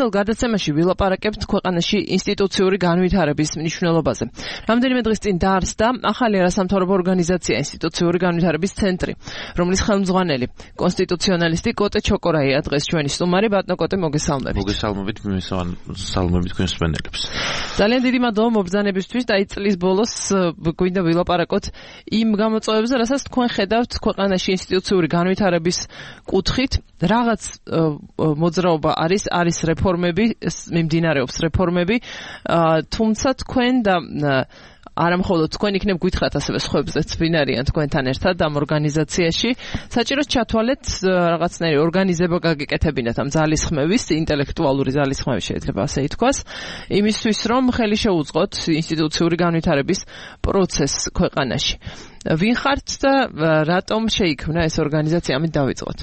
გადაცემაში ვილაპარაკებთ ქვეყანაში ინსტიტუციური განვითარების მნიშვნელობაზე. რამდენიმე დღის წინ დაარსდა ახალი არასამთავრობო ორგანიზაცია ინსტიტუციური განვითარების ცენტრი, რომლის ხელმძღვანელი კონსტიტუციონალისტი კოტე ჩოკორაია დღეს ჩვენი სტუმარი. ბატონო კოტე, მოგესალმებით. მოგესალმებით, მოგესალმებით თქვენ მსმენელებს. ძალიან დიდი მადლობა მობრძანებისთვის და წლის ბოლოს გვინდა ვილაპარაკოთ იმ გამოწვევებზე, რასაც თქვენ ხედავთ ქვეყანაში ინსტიტუციური განვითარების კუთხით. რაღაც მოძრაობა არის რეფორმები, მიმდინარეობს რეფორმები, თუმცა თქვენ და არა მხოლოდ თქვენ იქნებ გითხრათ ასევე სხვებზეც ვინ არიან თქვენთან ერთად ამ ორგანიზაციაში. საჭიროს ჩათვალეთ რაღაცნაირი ორგანიზება გაგიკეთებინათ ამ ძალისხმევის, ინტელექტუალური ძალისხმევის შეიძლება ასე ითქვას, იმისთვის რომ ხელი შეუწყოთ ინსტიტუციური განვითარების პროცესს ქვეყანაში. ვინ ხართ და რატომ შეიქმნა ეს ორგანიზაცია? ამით დავიწყოთ.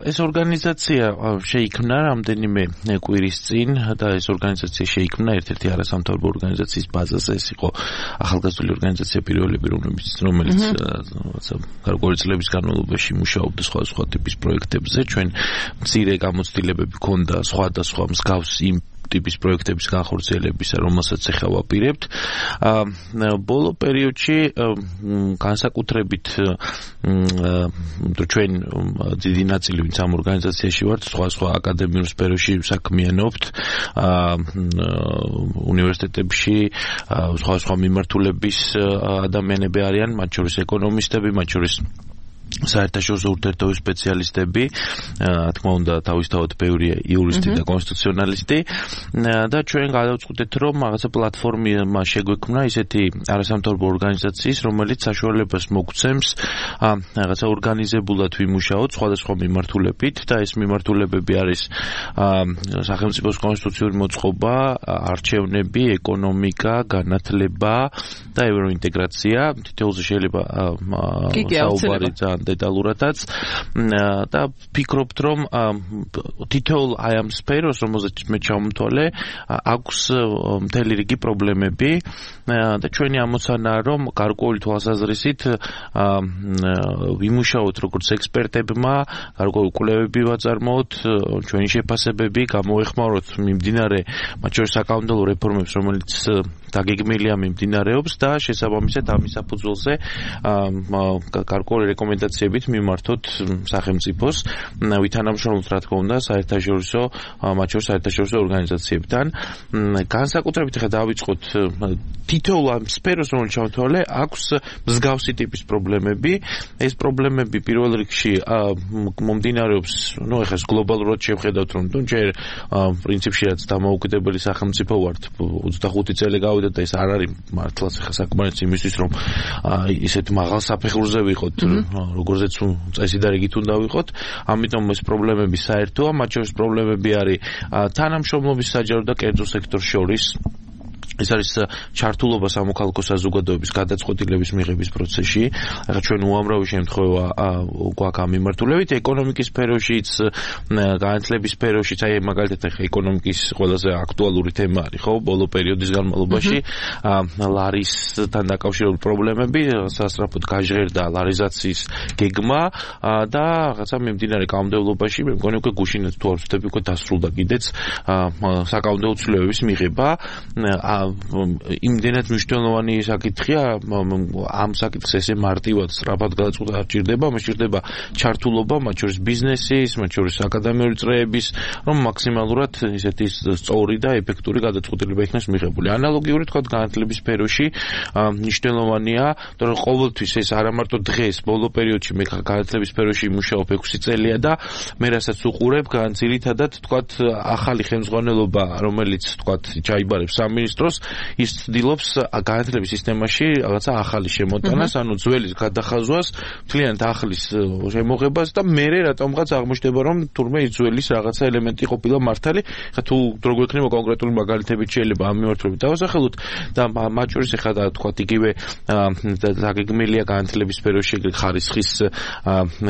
ეს ორგანიზაცია შეიქმნა რამდენიმე კვირის წინ და ეს ორგანიზაცია შეიქმნა ერთ-ერთი არასამთავრობო ორგანიზაციის ბაზაზე. ეს იყო ახალგაზრდული ორგანიზაცია პირველები, რომელიც გარკვეული წლების განმავლობაში მუშაობდა სხვადასხვა ტიპის პროექტებზე. ჩვენ მცირე გამოცდილებები ჰქონდა სხვადასხვა მსგავსი ტიპის პროექტების განხორციელებისა, რომელსაც ახლა ვაპირებთ. ბოლო პერიოდში განსაკუთრებით ჩვენ დიდი ნაწილი ვინც ამ ორგანიზაციაში ვართ, სხვა აკადემიურ სფეროში საქმიანობთ, უნივერსიტეტებში სხვა მიმართულების ადამიანები არიან, მათ შორის ეკონომისტები, მათ შორის საერთაშორისო ურთიერთობების სპეციალისტები, თქმა უნდა, თავისთავად ბევრია იურისტი და კონსტიტუციონალისტი და ჩვენ გადავწყვიტეთ, რომ რაღაცა პლატფორმა შეგვექმნა ისეთი არასამთავრობო ორგანიზაციის, რომელიც საშუალებას მოგცემს რაღაცა ორგანიზებულად ვიმუშაოთ სხვადასხვა მიმართულებით და ეს მიმართულებები არის სახელმწიფოს კონსტიტუციური მოწყობა, არჩევნები, ეკონომიკა, განათლება და ევროინტეგრაცია. თითოეულზე შეიძლება საუბარი დეტალურადაც და ვფიქრობთ, რომ თითოეულ აი ამ სფეროს, რომელზეც მე ჩავმთვალე, აქვს მთელი რიგი პრობლემები და ჩვენი ამოცანაა, რომ გარკვეული თვალსაზრისით ვიმუშაოთ როგორც ექსპერტებმა, გარკვეული კვლევები ვაწარმოოთ, ჩვენი შეფასებები გამოვეხმაროთ მიმდინარე, მათ შორის საკანონმდებლო რეფორმებს, რომელიც დაგეგმილია მიმდინარეობს და შესაბამისად ამის საფუძველზე გარკვეული რეკომენდაციებით მიმართოთ სახელმწიფოს ვითანამშრომლოთ, რა თქმა უნდა, საერთაშორისო, მათ შორის საერთაშორისო ორგანიზაციებთან. განსაკუთრებით ახლა დავიწყოთ თითოეულ ამ სფეროს, რომელიც ჩავთვალე, აქვს მსგავსი ტიპის პრობლემები. ეს პრობლემები პირველ რიგში მომდინარეობს, ახლა გლობალურად შევხედავთ, რომ ჯერ პრინციპში რაც დამოუკიდებელი სახელმწიფო ვართ, 25 წელი გავიდა და ეს არ არის მართლაც ახლა საკმარისი იმისთვის, რომ ისეთ მაღალ საფეხურზე ვიყოთ, როგორზეც წესი და რიგით უნდა ვიყოთ. ამიტომ ეს პრობლემები საერთოა, მათ შორის პრობლემები არის თანამშრომლობის საჯარო და კერძო სექტორს შორის. ეს არის ჩართულობა სამოქალაქო საზოგადოების გადაწყვეტილების მიღების პროცესში. ახლა ჩვენ უამრავი შემთხვევა გვაქვს ამ მიმართულებით, ეკონომიკის სფეროშიც, განათლების სფეროშიც, აი მაგალითად ახლა ეკონომიკის ყველაზე აქტუალური თემა არის, ხო, ბოლო პერიოდის განმავლობაში ლარისთან დაკავშირებული პრობლემები, სასწრაფოდ გაჟღერდა ლარიზაციის გეგმა და რაღაცა მიმდინარე კანონმდებლობაში, მე მგონი უკვე გუშინაც თუ არ ვცდები, უკვე დასრულდა კიდეც საკანონმდებლო ცვლილებების მიღება. იმდენად მნიშვნელოვანი საკითხია, ამ საკითხს ესე მარტივად სწრაფად გადაწყვეტა არ ჭირდება, მას ჭირდება ჩართულობა, მათ შორის ბიზნესის, მათ შორის აკადემიური წრეების, რომ მაქსიმალურად ისეთი სწორი და ეფექტური გადაწყვეტილება იქნას მიღებული. ანალოგიური თქვა განათლების სფეროში მნიშვნელოვანია, რომ ყოველთვის ეს არა მარტო დღეს, ბოლო პერიოდში მე განათლების სფეროში მუშაობ 6 წელია და მე რასაც უყურებ, განცილითადად თქვა ახალი ხელმძღვანელობა, რომელიც თქვა ჩაიბარებს სამინისტროს, ის ცდილობს განათლების სისტემაში რაღაცა ახალი შემოტანას, ანუ ძველის გადახაზვას, მთლიანად ახლის შემოღებას და მერე რატომღაც აღმოჩნდება, რომ თურმე ის ძველის რაღაცა ელემენტი ყოფილა მართალი. ხა თუ როგორ გვექნება კონკრეტული მაგალითებით შეიძლება ამ მიმართულებით დავასახელოთ და მათ შორის ახლა თქვა იგივე დაგეგმილია განათლების სფეროში ხარისხის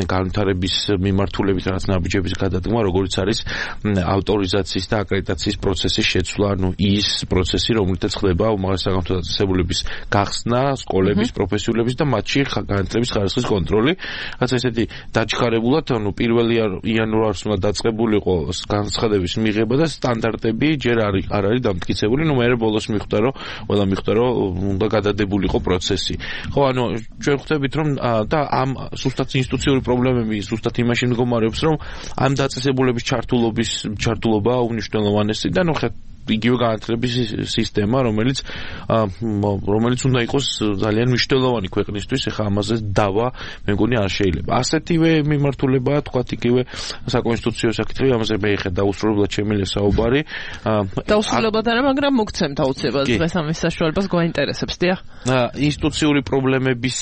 განვითარების მიმართულებით რაღაც ნაბიჯების გადადგმა, როგორც არის ავტორიზაციის და აკრედიტაციის პროცესის შეცვლა, ანუ ის პროცესი, რომელიც მაგალითად ხდება უმაღლესი სახელმწიფო დაწესებულების გახსნა, სკოლების, პროფესიულების და მათში განათლების ხარისხის კონტროლი. რაც ესეთი დაჩქარებულად, ანუ 1 იანვარს უნდა დაწყებულიყო განცხადების მიღება და სტანდარტები ჯერ არ არის დამტკიცებული, მე ბოლოს მიხვდა რომ უნდა გადადებულიყო პროცესი. ხო, ანუ ჩვენ ხვდებით რომ და ამ სუსტად ინსტიტუციური პრობლემები სუსტად იმაში მდგომარეობს, რომ ამ დაწესებულების ჩართულობა უნიშნელოვანესი და იგივე განათლების სისტემა, რომელიც უნდა იყოს ძალიან მნიშვნელოვანი ქვეყნისთვის, ეხლა ამაზე დავა მე მგონი არ შეიძლება. ასეთივე მიმართულებაა თქვათ იგივე საკონსტიტუციო საკითხები, ამაზე მე ეხლა დაუსრულებლად შემიძლია საუბარი. დაუსრულებლად არა, მაგრამ მოგცემთ აუცილებლად დღეს ამის საშუალებას გვაინტერესებს, დიახ. ინსტიტუციური პრობლემების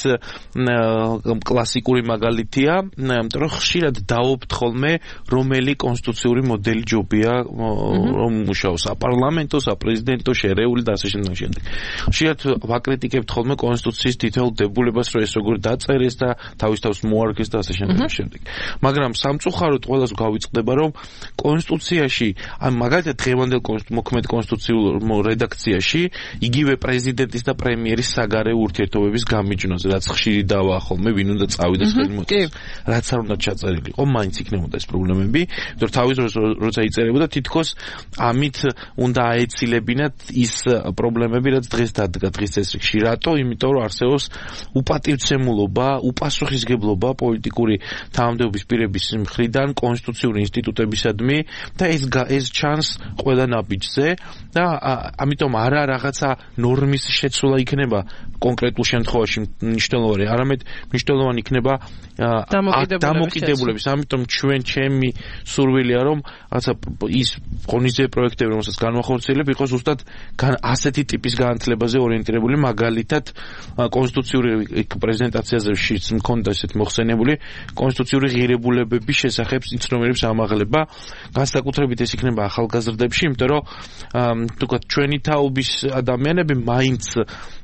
კლასიკური მაგალითია, იმიტომ რომ ხშირად დავობთ ხოლმე რომელი კონსტიტუციური მოდელი ჯობია რომ მუშაოს პარლამენტო, საპრეზიდენტო, შერეული და ასე შემდეგ. ხშირად ვაკრიტიკებთ ხოლმე კონსტიტუციის თითოეულ დებულებას, რომ ეს როგორ დაწერეს და თავის მოარგეს და ასე შემდეგ. მაგრამ სამწუხაროდ ყველას გავიწყდება, რომ კონსტიტუციაში, მაგალითად დღევანდელ მოქმედ კონსტიტუციურ რედაქციაში, იგივე პრეზიდენტის და პრემიერის საგარეო ურთიერთობების გამიჯვნაზე, რაც ხშირი დავაა ხოლმე, ვინ უნდა წავიდეს ხელმოწერას. რაც არ უნდა ჩაწერილიყო, მაინც იქნებოდა ეს პრობლემები, იმიტომ თავის როცა იწერებოდა თითქოს ამით უნდა აეცილებინათ ის პრობლემები, რაც დღეს დადგა დღის წესრიგში. რატო? იმიტომ რომ არსებობს უპატივცემულობა, უპასუხისგებლობა პოლიტიკური თანამდებობის პირების მხრიდან კონსტიტუციური ინსტიტუტებისადმი და ეს ჩანს ყველა ნაბიჯზე და ამიტომ არა რაღაცა ნორმის შეცვლა იქნება კონკრეტულ შემთხვევაში მნიშვნელოვანი, არამედ მნიშვნელოვანი იქნება დამოკიდებულების. ამიტომ ჩემი სურვილია რომ რაღაცა ის ღონისძიებები პროექტები, რომელსაც განვახორციელებ, იყოს ზუსტად ასეთი ტიპის განათლებაზე ორიენტირებული, მაგალითად კონსტიტუციური პრეზენტაციაზე მქონდა ესეთი მოხსენებული კონსტიტუციური ღირებულებების შესახებ იცნობიერების ამაღლება, განსაკუთრებით ეს იქნება ახალგაზრდებში, იმიტომ რომ თქვათ ჩვენი თაობის ადამიანები მაინც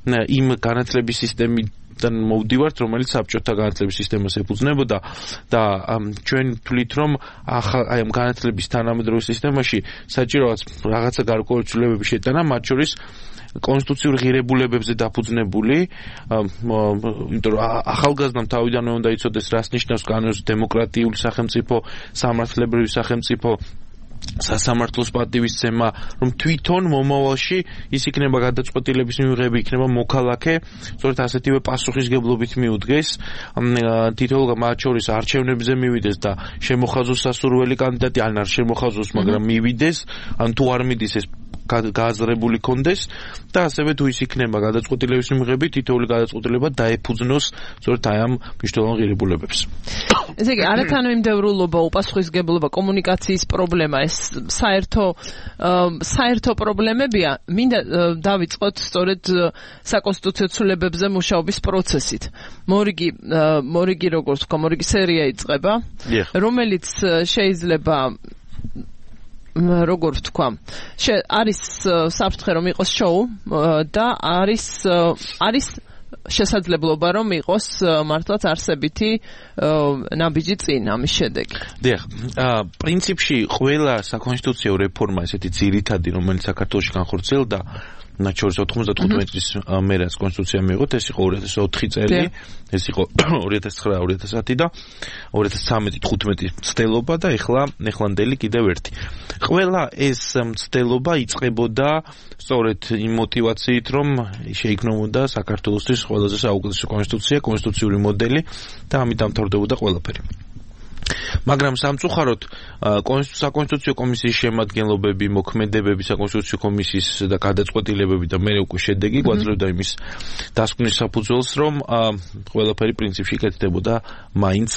იმ განათლების სისტემიდან მოვდივართ, რომელიც საბჭოთა განათლების სისტემას ეფუძნებოდა და ჩვენ თვლით, რომ აი ამ განათლების თანამედროვე სისტემაში საჭიროა რაღაცა გარკვეული ცვლილებების შეტანა, მათ შორის კონსტიტუციური ღირებულებებზე დაფუძნებული, იმიტომ რომ ახალგაზრდამ თავიდანვე უნდა იცოდეს, რას ნიშნავს კანონიზმის დემოკრატიული სახელმწიფო, სამართლებრივი სახელმწიფო, სასამართლოს პატივისცემა, რომ თვითონ მომავალში ის იქნება გადაწყვეტილების მიღება, იქნება მოქალაქე, სწორედ ასეთივე პასუხისგებლობით მიუდგეს, თითოეულ მათ შორის არჩევნებზე მივიდეს და შემოხაზოს სასურველი კანდიდატი, ან არ შემოხაზოს, მაგრამ მივიდეს, ან თუ არ მიდის ეს გააზრებული კონდეს და ასევე თუ ის იქნება გადაწყვეტილების მიღებით, თითოეული გადაწყვეტილება დაეფუძნოს სწორედ აი ამ მნიშვნელოვან ღირებულებებს. ესე იგი, არათანმიმდევრულობა, უპასუხისგებლობა, კომუნიკაციის პრობლემა, ეს საერთო პრობლემებია. მინდა დავიწყოთ სწორედ საკონსტიტუციო ცვლილებებზე მუშაობის პროცესით. მორიგი როგორც თქვა, მორიგი სერია იწყება, რომელიც შეიძლება როგორ ვთქვა, არის საფრთხე რომ იყოს შოუ და არის შესაძლებლობა რომ იყოს მართლაც არსებითი ნაბიჯი წინ ამის შედეგი. დიახ, პრინციპში ყველა საკონსტიტუციო რეფორმა ესეთი ძირითადი, რომელიც საქართველოში განხორციელდა, მათ შორის 95 წლის მე რაც კონსტიტუცია მიიღოთ, ეს იყო 2004 წელი, ეს იყო 2009-2010 და 2013-15 მცდელობა და ეხლანდელი კიდევ ერთი. ყველა ეს მცდელობა იწყებოდა სწორედ იმ мотивაციით, რომ შეიქმნებოდა საქართველოსთვის ყველაზე საუკეთესო კონსტიტუციური მოდელი და ამით დამთავრდებოდა ყველაფერი. მაგრამ სამწუხაროდ საკონსტიტუციო კომისიის შემადგენლობები, მოქმედებები საკონსტიტუციო კომისიის და გადაწყვეტილებები და მე უკვე შედეგი გვაძლევდა იმის დასკვნის საფუძველს, რომ ყველაფერი პრინციპში იკეთდებოდა მაინც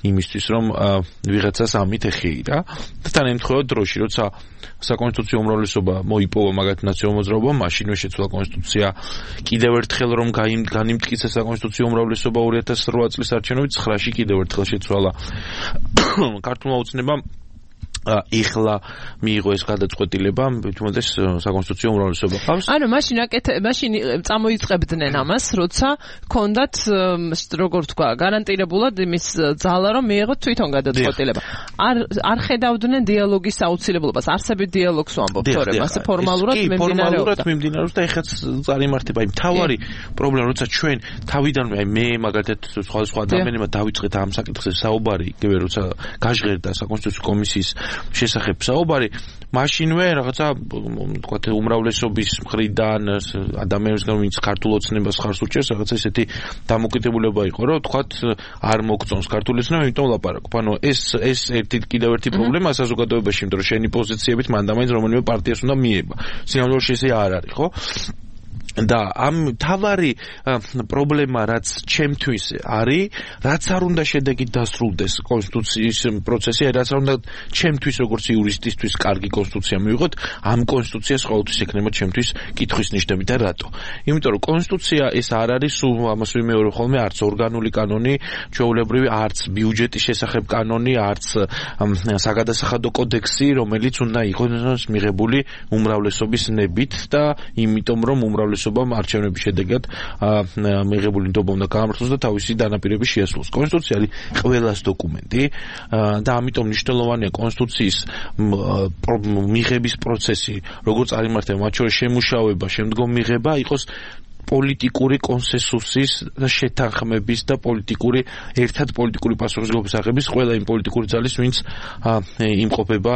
იმისთვის, რომ ვიღაცას ამით ეხეირა და თან ემთხვევა დროში, როცა საკონსტიტუციო უმრავლესობა მოიპოვა მაგათ ნაციონალურ მოძრაობამ, მაშინვე შეცვალა კონსტიტუცია, კიდევ ერთხელ რომ განიმტკიცა საკონსტიტუციო უმრავლესობა 2008 წლის არჩევნებით, 9-ში კიდევ ერთხელ შეცვალა ქართულმა ოცნებამ ეხლა მიიღო ეს გადაწყვეტილება, თუმცა საკონსტიტუციო უმრავლესობა ყავს. ანუ მაშინ წამოიწყებდნენ ამას, როცა ქონდათ როგორ თქვა, გარანტირებულად იმის ძალა რომ მიიღოთ თვითონ გადაწყვეტილება. არ ხედავდნენ დიალოგის აუცილებლობას, არსებით დიალოგს ვამბობთ, თორემ ასე ფორმალურად მიმდინარეობს და ეხაც წარიმართება. იმ თავარი პრობლემა, როცა ჩვენ თავიდანვე მე მაგალითად სხვა ადამიანებმა დავიწყეთ ამ საკითხზე საუბარი, იგივე როცა გაჟღერდა საკონსტიტუციო კომისიის შესახებ საუბარი, მაშინვე რაღაცა თქვათ უმრავლესობის მხრიდან ადამიანებისგან ვინც ქართულ ოცნებას ხარს უჭერს, რაღაცა ესეთი დამოკიდებულება იყო, რომ თქვათ არ მოგწონს ქართული ოცნება, იმიტომ ლაპარაკობ. ანუ ეს კიდევ ერთი პრობლემაა საზოგადოებაში, იმიტომ რომ შენი პოზიციებით მანდამაინც რომელიმე პარტიას უნდა მიება. სინამდვილეში ესე არ არის, ხო? და ამ თავარი პრობლემა რაც ჩემთვის არის, რაც არ უნდა შედეგით დასრულდეს კონსტიტუციის პროცესი, რაც არ უნდა ჩემთვის როგორც იურისტისთვის კარგი კონსტიტუცია მივიღოთ, ამ კონსტიტუციას ყოველთვის ექნება ჩემთვის კითხვის ნიშნები და რატო? იმიტომ რომ კონსტიტუცია ეს არ არის სულ ამას ვიმეორებ ხოლმე, არც ორგანული კანონი, ჩვეულებრივი, არც ბიუჯეტის შესახებ კანონი, არც საგადასახადო კოდექსი, რომელიც უნდა იყოს მიღებული უმრავლესობის ნებით და იმიტომ რომ უმრავლესობამ არჩევნების შედეგად მიღებული ნდობა უნდა გაამართლოს და თავისი დანაპირების შეასრულოს. კონსტიტუცია არის ყველას დოკუმენტი და ამიტომ მნიშვნელოვანია კონსტიტუციის მიღების პროცესი, როგორც წარიმართება, მათ შორის შემუშავება, შემდგომ მიღება იყოს პოლიტიკური კონსენსუსის და შეთანხმების და ერთად პოლიტიკური პასუხისმგებლობის აღების ყველა იმ პოლიტიკური ძალის, ვინც იმყოფება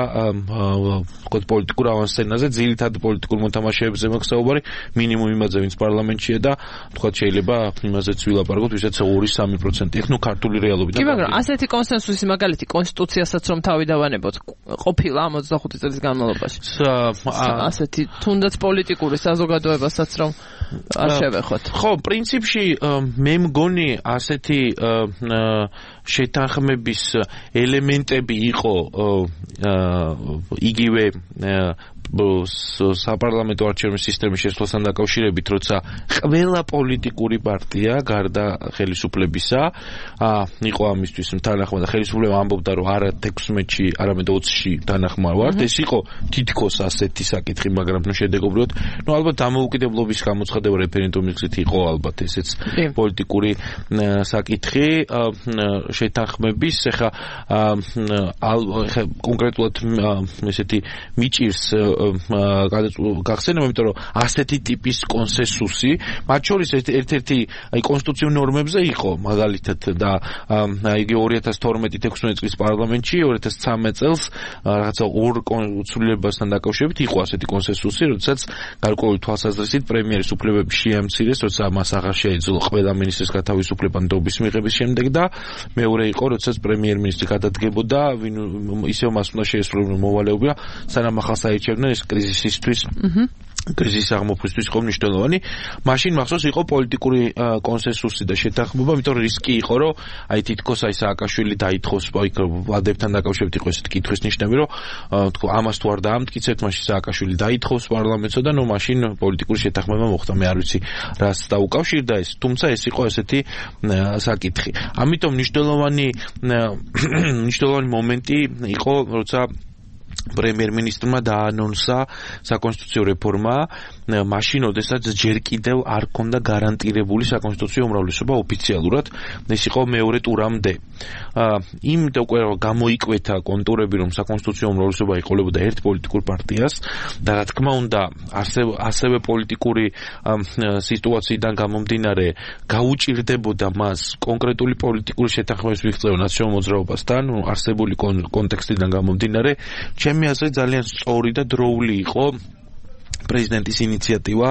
პოლიტიკურ ავანსცენაზე, ძირითად პოლიტიკურ მოთამაშეებზე მაქვს საუბარი, მინიმუმ იმაზე, ვინც პარლამენტშია და თქვათ შეიძლება იმაზეც ვილაპარაკოთ, ვისაც 2-3% იქ, ქართული რეალობით. კი, მაგრამ ასეთი კონსენსუსი მაგალითი კონსტიტუციასაც რომ თავი დავანებოთ, ყოფილა 25 წლის განმავლობაში. ასეთი თუნდაც პოლიტიკური საზოგადოებასაც რომ არ შევეხოთ. ხო, პრინციპში მე მგონი ასეთი შეთანხმების ელემენტები იყო იგივე საპარლამენტო არჩევნების სისტემის შესვლასთან დაკავშირებით, როცა ყველა პოლიტიკური პარტია გარდა ხელისუფლებისა იყო ამისთვის თანახმად და ხელისუფლება ამბობდა, რომ არა 16-ში, არამედ 20-ში თანახმად ვართ. ეს იყო თითქოს ასეთი საკითხი, მაგრამ შედეგობრივად, ალბათ დამოუკიდებლობის გამოცხადება რეფერენდუმის გზით იყო ალბათ ესეც პოლიტიკური საკითხი შეთანხმების. ეხლა კონკრეტულად ესეთი მიჭირს გახსენება, იმიტომ რომ ასეთი ტიპის კონსენსუსი, მათ შორის ერთ-ერთი კონსტიტუციურ ნორმებზე იყო, მაგალითად და იგი 2012-16 წლის პარლამენტში, 2013 წელს რაღაცა ორ კონსულიებასთან დაკავშირებით იყო ასეთი კონსენსუსი, როდესაც გარკვეული თვალსაზრისით პრემიერის უფლებები შეამცირეს, როცა მას აღარ შეეძლო ყველა მინისტრის გათავისუფლება ნდობის მიღების შემდეგ და მეორე იყო, როდესაც პრემიერ-მინისტრი გადადგებოდა, ისევ მას უნდა შეესრულებინა მოვალეობა, სანამ ახალ საერჩევნო ეს კრიზისისთვის კრიზისის აღმოფხვისთვის იყო მნიშვნელოვანი. მაშინ მახსოვს იყო პოლიტიკური კონსენსუსი და შეთანხმება, იმიტომ რომ რისკი იყო, რომ თითქოს სააკაშვილი დაითხოვს, ვალდებთან დაკავშირებით იყო ესეთი კითხვის ნიშნები, რომ ამას თუ არ დაამტკიცებთ, მაშინ სააკაშვილი დაითხოვს პარლამენტსა და მაშინ პოლიტიკური შეთანხმება მოხდა. მე არ ვიცი რას დაუკავშირდა ეს, თუმცა ეს იყო ესეთი საკითხი. ამიტომ მნიშვნელოვანი მომენტი იყო, როცა პრემიერ-მინისტრმა დაანონსა საკონსტიტუციო რეფორმა, მაშინ ოდესაც ჯერ კიდევ არ ქონდა გარანტირებული საკონსტიტუციო უმრავლესობა ოფიციალურად, ეს იყო მეორე ტურამდე. იმ უკვე გამოიკვეთა კონტურები, რომ საკონსტიტუციო უმრავლესობა იყოლებოდა ერთ პოლიტიკურ პარტიას და რა თქმა უნდა, ასევე პოლიტიკური სიტუაციიდან გამომდინარე გაუჭირდებოდა მას კონკრეტული პოლიტიკური შეთანხმების მიღწევა ნაციონალურ მოძრაობასთან, არსებული კონტექსტიდან გამომდინარე, ჩემი აზრით ძალიან სწორი და დროული იყო პრეზიდენტის ინიციატივა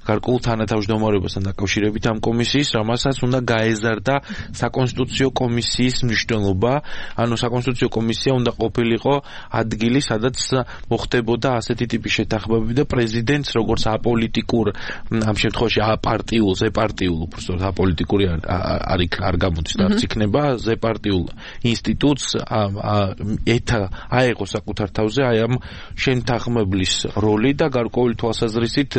გარკვეულ თანათავმჯდომარეობასთან დაკავშირებით ამ კომისიის, რამასაც უნდა გაეზარდა საკონსტიტუციო კომისიის მნიშვნელობა, ანუ საკონსტიტუციო კომისია უნდა ყოფილიყო ადგილი, სადაც მოხდებოდა ასეთი ტიპის შეთანხმებები და პრეზიდენტს როგორც აპოლიტიკურ, ამ შემთხვევაში აპარტიულ, ზეპარტიულ, უბრალოდ აპოლიტიკური არ გამოდის და არც იქნება ზეპარტიულ ინსტიტუტს აეღო საკუთარ თავზე ამ შეთანხმებლის როლი და გარკვეული თვალსაზრისით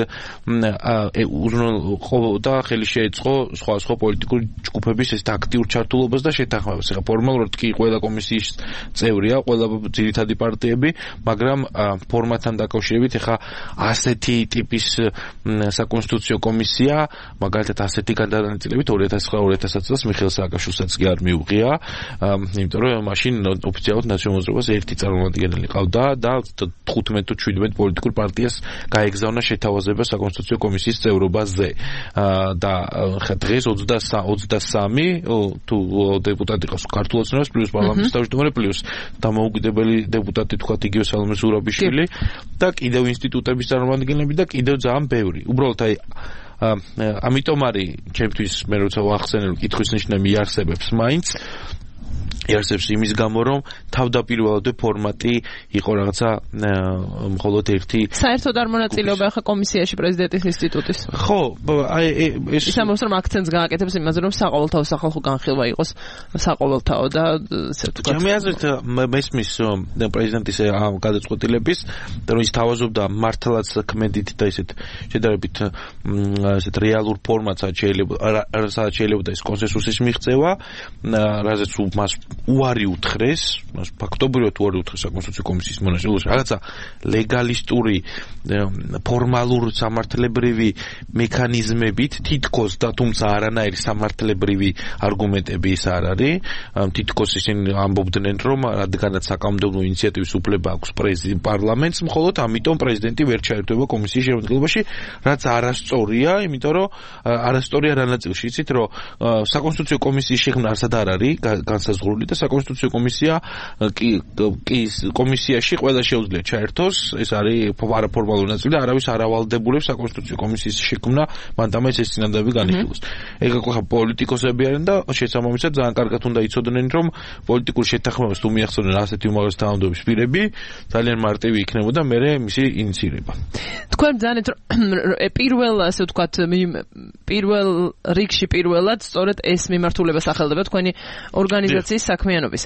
და ხელი შეეწყო სხვა პოლიტიკური ჯგუფების ეს აქტიურ ჩართულობას და შეთანხმებას. ეხლა ფორმალურად კი ყველა კომისიის წევრია, ყველა ძირითადი პარტიები, მაგრამ ფორმატთან დაკავშირებით ეხლა ასეთი ტიპის საკონსტიტუციო კომისია, მაგალითად ასეთი გადანაწილებით 2009-2010 წელს მიხეილ სააკაშვილსაც კი არ მიუღია, იმიტომ რომ მაშინ ოფიციალურად ნაციონალურ მოძრაობას ერთი წარმომადგენელი ყავდა და 15 თუ 17 პოლიტიკურ პარტიას გაეგზავნა შეთავაზება საკონსტიტუციო კომისიის წევრობაზე. და დღეს 23 თუ დეპუტატი ყავს ქართულ ოცნებას პლუს პარლამენტის თავმჯდომარე პლუს დამოუკიდებელი დეპუტატი თქვათ იგივე სალომე ზურაბიშვილი და კიდევ ინსტიტუტების წარმომადგენლები და კიდევ ძალიან ბევრი. უბრალოდ ამიტომ არის ჩემთვის მე როცა ვახსენებ კითხვის ნიშნა მიარსებებს მაინც იარსებს იმის გამო რომ თავდაპირველად ფორმატი იყო რაღაცა მხოლოდ ერთი საერთოდ არ მონაწილეობა ახლა კომისიაში პრეზიდენტის ინსტიტუტის ხო ეს ისამოს რომ აქცენტს გააკეთებს იმაზე რომ საყოველთაო სახალხო განხილვა იყოს საყოველთაო და ესე ვთქვათ ჩემი აზრით მესმის პრეზიდენტის გადაწყვეტილების რომ ის თავაზობდა მართლაც ქმედით და ისეთ შედარებით ესეთ რეალურ ფორმატსაც შეიძლება ის კონსენსუსის მიღწევა რაზეც მას უარი უთხრეს, ფაქტობრივად უარი უთხრეს საკონსტიტუციო კომისიის მონაწილეობაში, რაღაცა ლეგალისტური ფორმალურ სამართლებრივი მექანიზმებით თითქოს და თუმცა არანაირი სამართლებრივი არგუმენტები ის არ არის, თითქოს ისინი ამბობდნენ რომ რადგანაც საკანონმდებლო ინიციატივის უფლება აქვს პარლამენტს, მხოლოდ ამიტომ პრეზიდენტი ვერ ჩაერთვება კომისიის შემადგენლობაში, რაც არასწორია, იმიტომ რომ არასწორია რა ნაწილში, იცით რომ საკონსტიტუციო კომისიის შექმნა არსად არ არის განსაზღვრული და საკონსტიტუციო კომისია კომისიაში ყველა შეუძლია ჩაერთოს, ეს არის არაფორმალური ნაწილი და არავის არ ავალდებულებს საკონსტიტუციო კომისიის შექმნა, მანდამაც ეს წინადადები განიხილოს. ეგ ხო პოლიტიკოსები არიან და შესაბამისად ძალიან კარგად უნდა იცოდნენ რომ პოლიტიკურ შეთანხმებას თუ მიახსოვნენ ასეთი უმაღლესი თანამდებობის პირები, ძალიან მარტივი იქნებოდა მერე მისი ინიცირება. თქვენ ძანეთ პირველ ასე ვთქვათ პირველ რიგში პირველად სწორედ ეს მიმართულება სახელდება თქვენი ორგანიზაციის საქმიანობის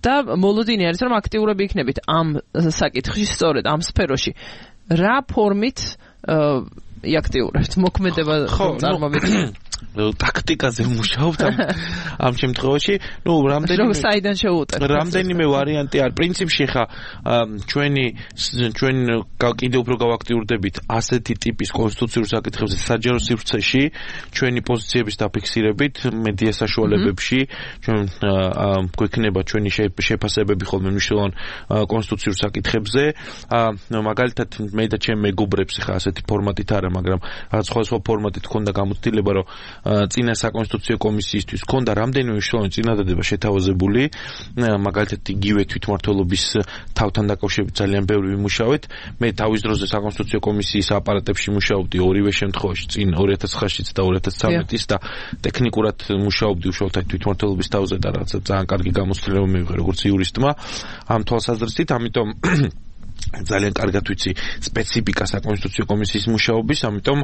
და მოლოდინი არის რომ აქტიურები იქნებით ამ საკითხში სწორედ ამ სფეროში რა ფორმით იაქტიურებთ მოქმედება წარმოვიდგინეთ ტაქტიკაზე მუშაობთ ამ შემთხვევაში რამდენიმე ვარიანტი არის პრინციპში ხა ჩვენ კიდევ უფრო გავაქტიურდებით ასეთი ტიპის კონსტიტუციურ საკითხებზე საჯარო სივრცეში ჩვენი პოზიციების დაფიქსირებით მედია საშუალებებში ჩვენ გვექნება ჩვენი შეფასებები ხოლმე მნიშვნელოვან კონსტიტუციურ საკითხებზე მაგალითად მე და ჩემ მეგობრებს ხა ასეთი ფორმატით არა მაგრამ სხვადასხვა ფორმატით ქონდა გამოცდილება რომ წინა საკონსტიტუციო კომისიისთვის ქონდა რამდენიმე მნიშვნელოვანი წინადადება შეთავაზებული, მაგალითად იგივე თვითმმართველობის თავთან დაკავშირებით ძალიან ბევრი ვიმუშავეთ. მე თავის დროზე საკონსტიტუციო კომისიის აპარატებში მუშაობდი ორივე შემთხვევაში, წინ 2009-იც და 2013-ის და ტექნიკურად მუშაობდი უშუალოდ თვითმმართველობის თავზე და რაღაცა ძალიან კარგი გამოცდილება მივიღე როგორც იურისტმა ამ თვალსაზრისით, ამიტომ ძალიან კარგად ვიცი სპეციფიკა საკონსტიტუციო კომისიის მუშაობის, ამიტომ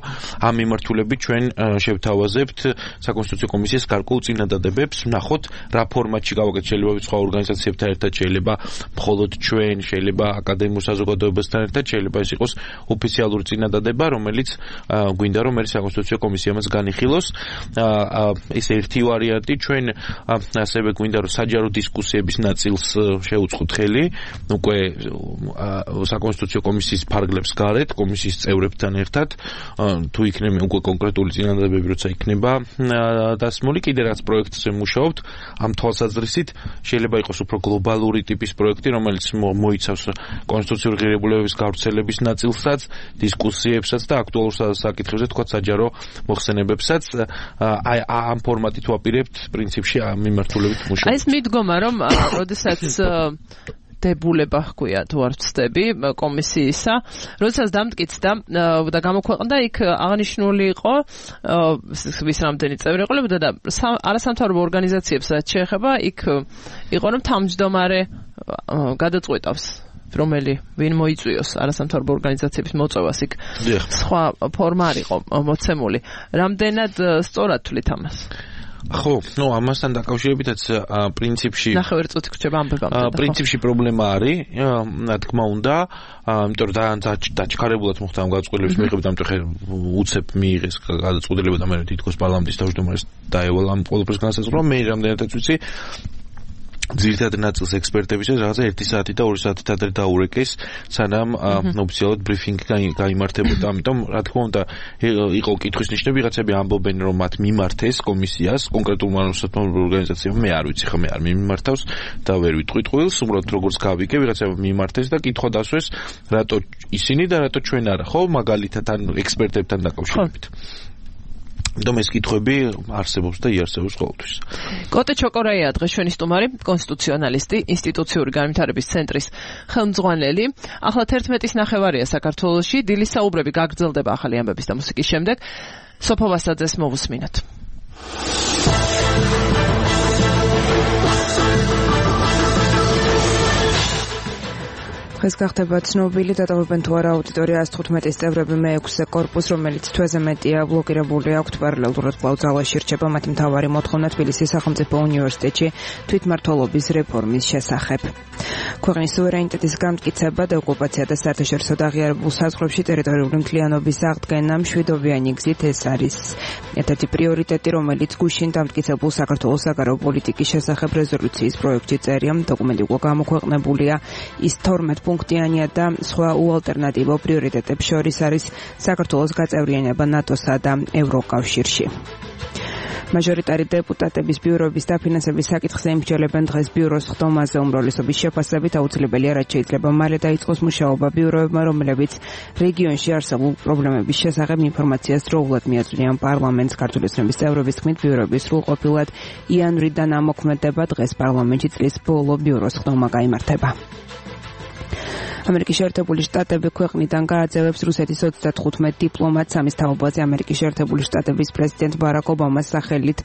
ამ მიმართულებით ჩვენ შევთავაზებთ საკონსტიტუციო კომისიის გარკვეულ წინადადებებს, ვნახოთ რა ფორმატში გავაკეთოთ, შეიძლება სხვა ორგანიზაციებთან ერთად, შეიძლება მხოლოდ ჩვენ, შეიძლება აკადემიურ საზოგადოებასთან ერთად, შეიძლება ეს იყოს ოფიციალური წინადადება, რომელიც გვინდა რომ მე საკონსტიტუციო კომისია მას განიხილოს. ეს ერთი ვარიანტი, ჩვენ ასევე გვინდა რომ საჯარო დისკუსიების ნაწილს შევუწყოთ ხელი, უკვე საკონსტიტუციო კომისიის ფარგლებს გარეთ, კომისიის წევრებთან ერთად, თუ იქნება უკვე კონკრეტული წინადადებები, როცა იქნება დასმული, კიდე რაც პროექტზე მუშაობთ, ამ თვალსაზრისით შეიძლება იყოს უფრო გლობალური ტიპის პროექტი, რომელიც მოიცავს კონსტიტუციური ღირებულებების გავრცელების ნაწილსაც, დისკუსიებსაც და აქტუალურ საკითხებზე, თქვა საჯარო მოხსენებებსაც, ამ ფორმატით ვაპირებთ პრინციპში ამ მიმართულებით მუშაობთ. ეს მიდგომა რომ როდესაც დებულება ჰქვია თუ არ ვცდები კომისიისა, როდესაც დამტკიცდა და გამოქვეყნდა, იქ აღნიშნული იყო ვის რამდენი წევრი ყოლებოდა და არასამთავრობო ორგანიზაციებს რაც შეეხება, იქ იყო რომ თავმჯდომარე გადაწყვეტავს ვინ მოიწვიოს არასამთავრობო ორგანიზაციების მოწვევას, იქ სხვა ფორმა არ იყო მოცემული. რამდენად სწორად თვლით ამას? ხო, ну, ამასთან დაკავშირებითაც პრინციპში ნახევარწუთი გრჩება ამბებამდე. პრინციპში პრობლემა არის, რა თქმა უნდა, იმიტომ რომ დაჩქარებულად მოხდა ამ გადაწყვეტილების მიღება, ამიტომ ხე უცებ მიიღეს გადაწყვეტილება და მე თითქოს პარლამენტის თავმჯდომარეს დაევალა ამ ყველაფერს განსაზღვრა. მე რამდენადაც ვიცი ძირითადად ნაწილს ექსპერტებისთვის რაღაცა 1 საათი და 2 საათით ადრე დაურეკეს, სანამ ოფიციალურად ბრიფინგი გაიმართებოდა. ამიტომ, რა თქმა უნდა, იყო კითხვის ნიშნები, რაღაცები ამბობენ, რომ მათ მიმართეს კომისიას, კონკრეტულმა ორგანიზაციამ, მე არ ვიცი, მე არ მიმართავს და ვერ ვიტყვი ტყუილს, უბრალოდ როგორც გავიგე, ვიღაცამ მიმართეს და კითხვა დასვეს, რატო ისინი და რატო ჩვენ არა, ხო, მაგალითად ან ექსპერტებთან დაკავშირებით. Dom ეს კითხვები არსებობს და იარსებობს ყოველთვის. კოტე ჩოკორაია დღეს ჩვენი სტუმარი, კონსტიტუციონალისტი, ინსტიტუციური განვითარების ცენტრის ხელმძღვანელი. ახლა 11-ის ნახევარია საქართველოში, დილის საუბრები გაგრძელდება ახალი ამბების და მუსიკის შემდეგ. სოფო ვასაძეს მოვუსმინოთ. დღეს გახდება ცნობილი დატოვებენ თუ არა აუდიტორია 115-ის წევრები მე-6 კორპუსს, რომელიც თვეზე მეტია ბლოკირებული აქვთ პარალელურად კვლავ ძალაში რჩება მათი მთავარი მოთხოვნა თბილისის სახელმწიფო უნივერსიტეტში თვითმმართველობის რეფორმის შესახებ. ქვეყნის სუვერენიტეტის გამტკიცება და ოკუპაცია და საერთაშორისო აღიარებულ საზღვრებში ტერიტორიული მთლიანობის აღდგენა მშვიდობიანი გზით ეს არის ერთ-ერთი პრიორიტეტი, რომელიც გუშინ დამტკიცებულ საქართველოს საგარეო პოლიტიკის შესახებ რეზოლუციის პროექტში წერია. დოკუმენტი უკვე გამოქვეყნებულია. ის 12 პუნქტიანია და სხვა უალტერნატივო პრიორიტეტებს შორის არის საქართველოს გაწევრიანება ნატოსა და ევროკავშირში. მაჟორიტარი დეპუტატების ბიუროების დაფინანსების საკითხზე იმსჯელებენ დღეს ბიუროს ხდომაზე უმრავლესობის შეფასებით აუცილებელია, რაც შეიძლება მალე დაიწყოს მუშაობა ბიუროებმა, რომლებიც რეგიონში არსებულ პრობლემების შესახებ ინფორმაციას დროულად მიაწვდიან პარლამენტს. ქართული ოცნების წევრების თქმით, ბიუროები სრულყოფილად იანვრიდან ამოქმედება, დღეს პარლამენტში წლის ბოლო ბიუროს ხდომა გაიმართება. ამერიკის შეერთებული შტატები ქვეყნიდან გააძევებს რუსეთის 35 დიპლომატს. ამის თაობაზე ამერიკის შეერთებული შტატების პრეზიდენტ ბარაკ ობამას სახელით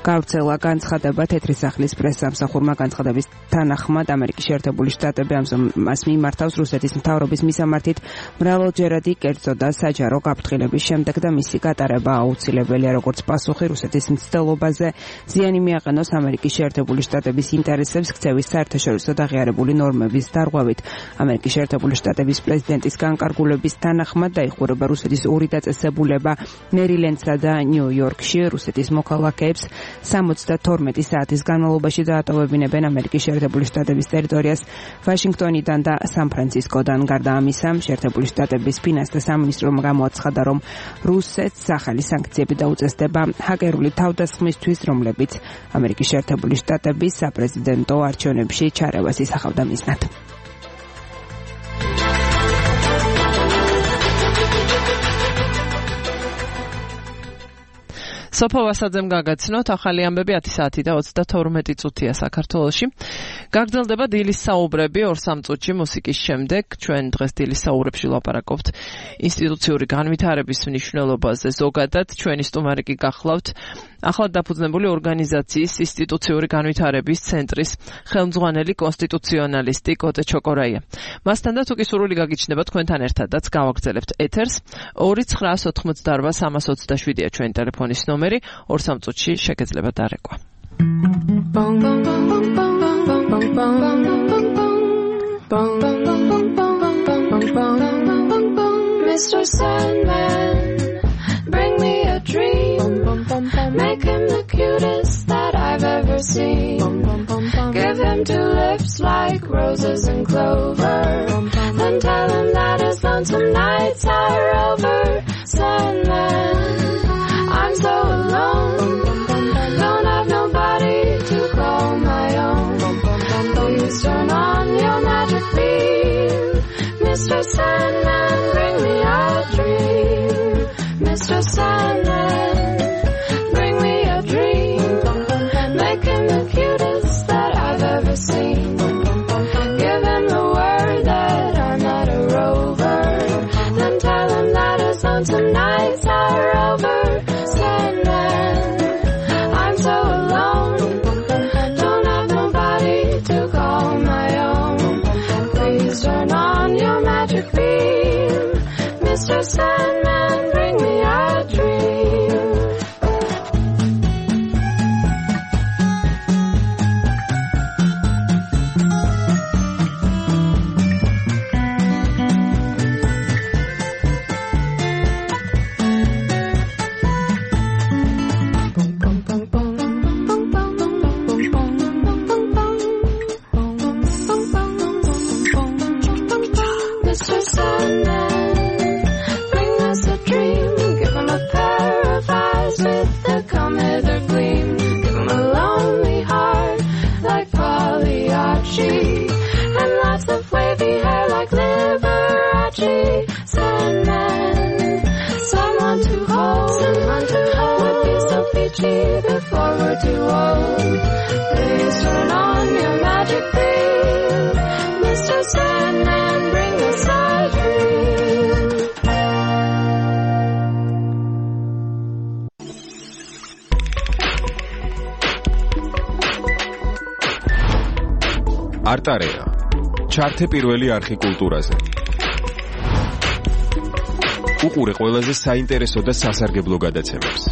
გავრცელა განცხადება. თეთრი სახლის პრესსამსახურმა განცხადების თანახმად ამერიკის შეერთებული შტატები ამას მიმართავს რუსეთის მთავრობის მისამართით მრავალჯერადი კერძო და საჯარო გაფრთხილების შემდეგ და მისი გატარება აუცილებელია, როგორც პასუხი რუსეთის მცდელობაზე ზიანი მიაყენოს ამერიკის შეერთებული შტატების ინტერესებს ქცევის საერთაშორისო აღიარებული ნორმების დარღვევით. ამერიკის შეერთებული შტატების პრეზიდენტის განკარგულების თანახმად დაიხურება რუსეთის ორი დაწესებულება მერილენდსა და ნიუ-იორკში. რუსეთის მოქალაქეებს 72 საათის განმავლობაში დაატოვებინებენ ამერიკის შეერთებული შტატების ტერიტორიას ვაშინგტონიდან და სან-ფრანცისკოდან. გარდა ამისა, შეერთებული შტატების ფინანსთა სამინისტრომ გამოაცხადა, რომ რუსეთს ახალი სანქციები დაუწესდება ჰაკერული თავდასხმისთვის, რომლებიც ამერიკის შეერთებული შტატების საპრეზიდენტო არჩევნებში ჩარევას ისახავდა მიზნად. სოფო ვასაძემ გაგაცნოთ ახალი ამბები 10 საათი და 32 წუთია საქართველოში. გაგრძელდება დილის საუბრები 2-3 წუთში მუსიკის შემდეგ. ჩვენ დღეს დილის საუბრებში ვლაპარაკობთ ინსტიტუციური განვითარების მნიშვნელობაზე ზოგადად. ჩვენი სტუმარი კი გახლავთ ახლად დაფუძნებული ორგანიზაციის ინსტიტუციური განვითარების ცენტრის ხელმძღვანელი კონსტიტუციონალისტი კოტე ჩოკორაია. მასთან და თუ კი სურვილი გაგიჩნდება თქვენთან ერთადაც გავაგრძელებთ ეთერს 2988327-ია ჩვენი ტელეფონის ნომერი. 2-3 წუთში შეგეძლება დარეკვა. Mr. Sandman, bring me a dream. Make him the cutest that I've ever seen. Give him 2 lips like roses and clover. Then tell him that his lonesome nights are over. Sandman, I'm so alone. Don't have nobody to call my own. Please turn on your magic beam. Mr. Sandman, bring me a dream. Mr. Sandman, bring me a dream. Make him the cutest that I've ever seen. Give him the word that I'm not a rover. Then tell him that his lonesome nights are over. Sandman, I'm so alone. Don't have nobody to call my own. Please turn on your magic beam. Mr. Sandman, bring me a dream. cheap before we're too old. Please turn on your magic beam, Mr. Sandman, bring us our dream. არტარეა. ჩართე პირველი არხი კულტურაზე. უყურე ყველაზე საინტერესო და სასარგებლო გადაცემებს.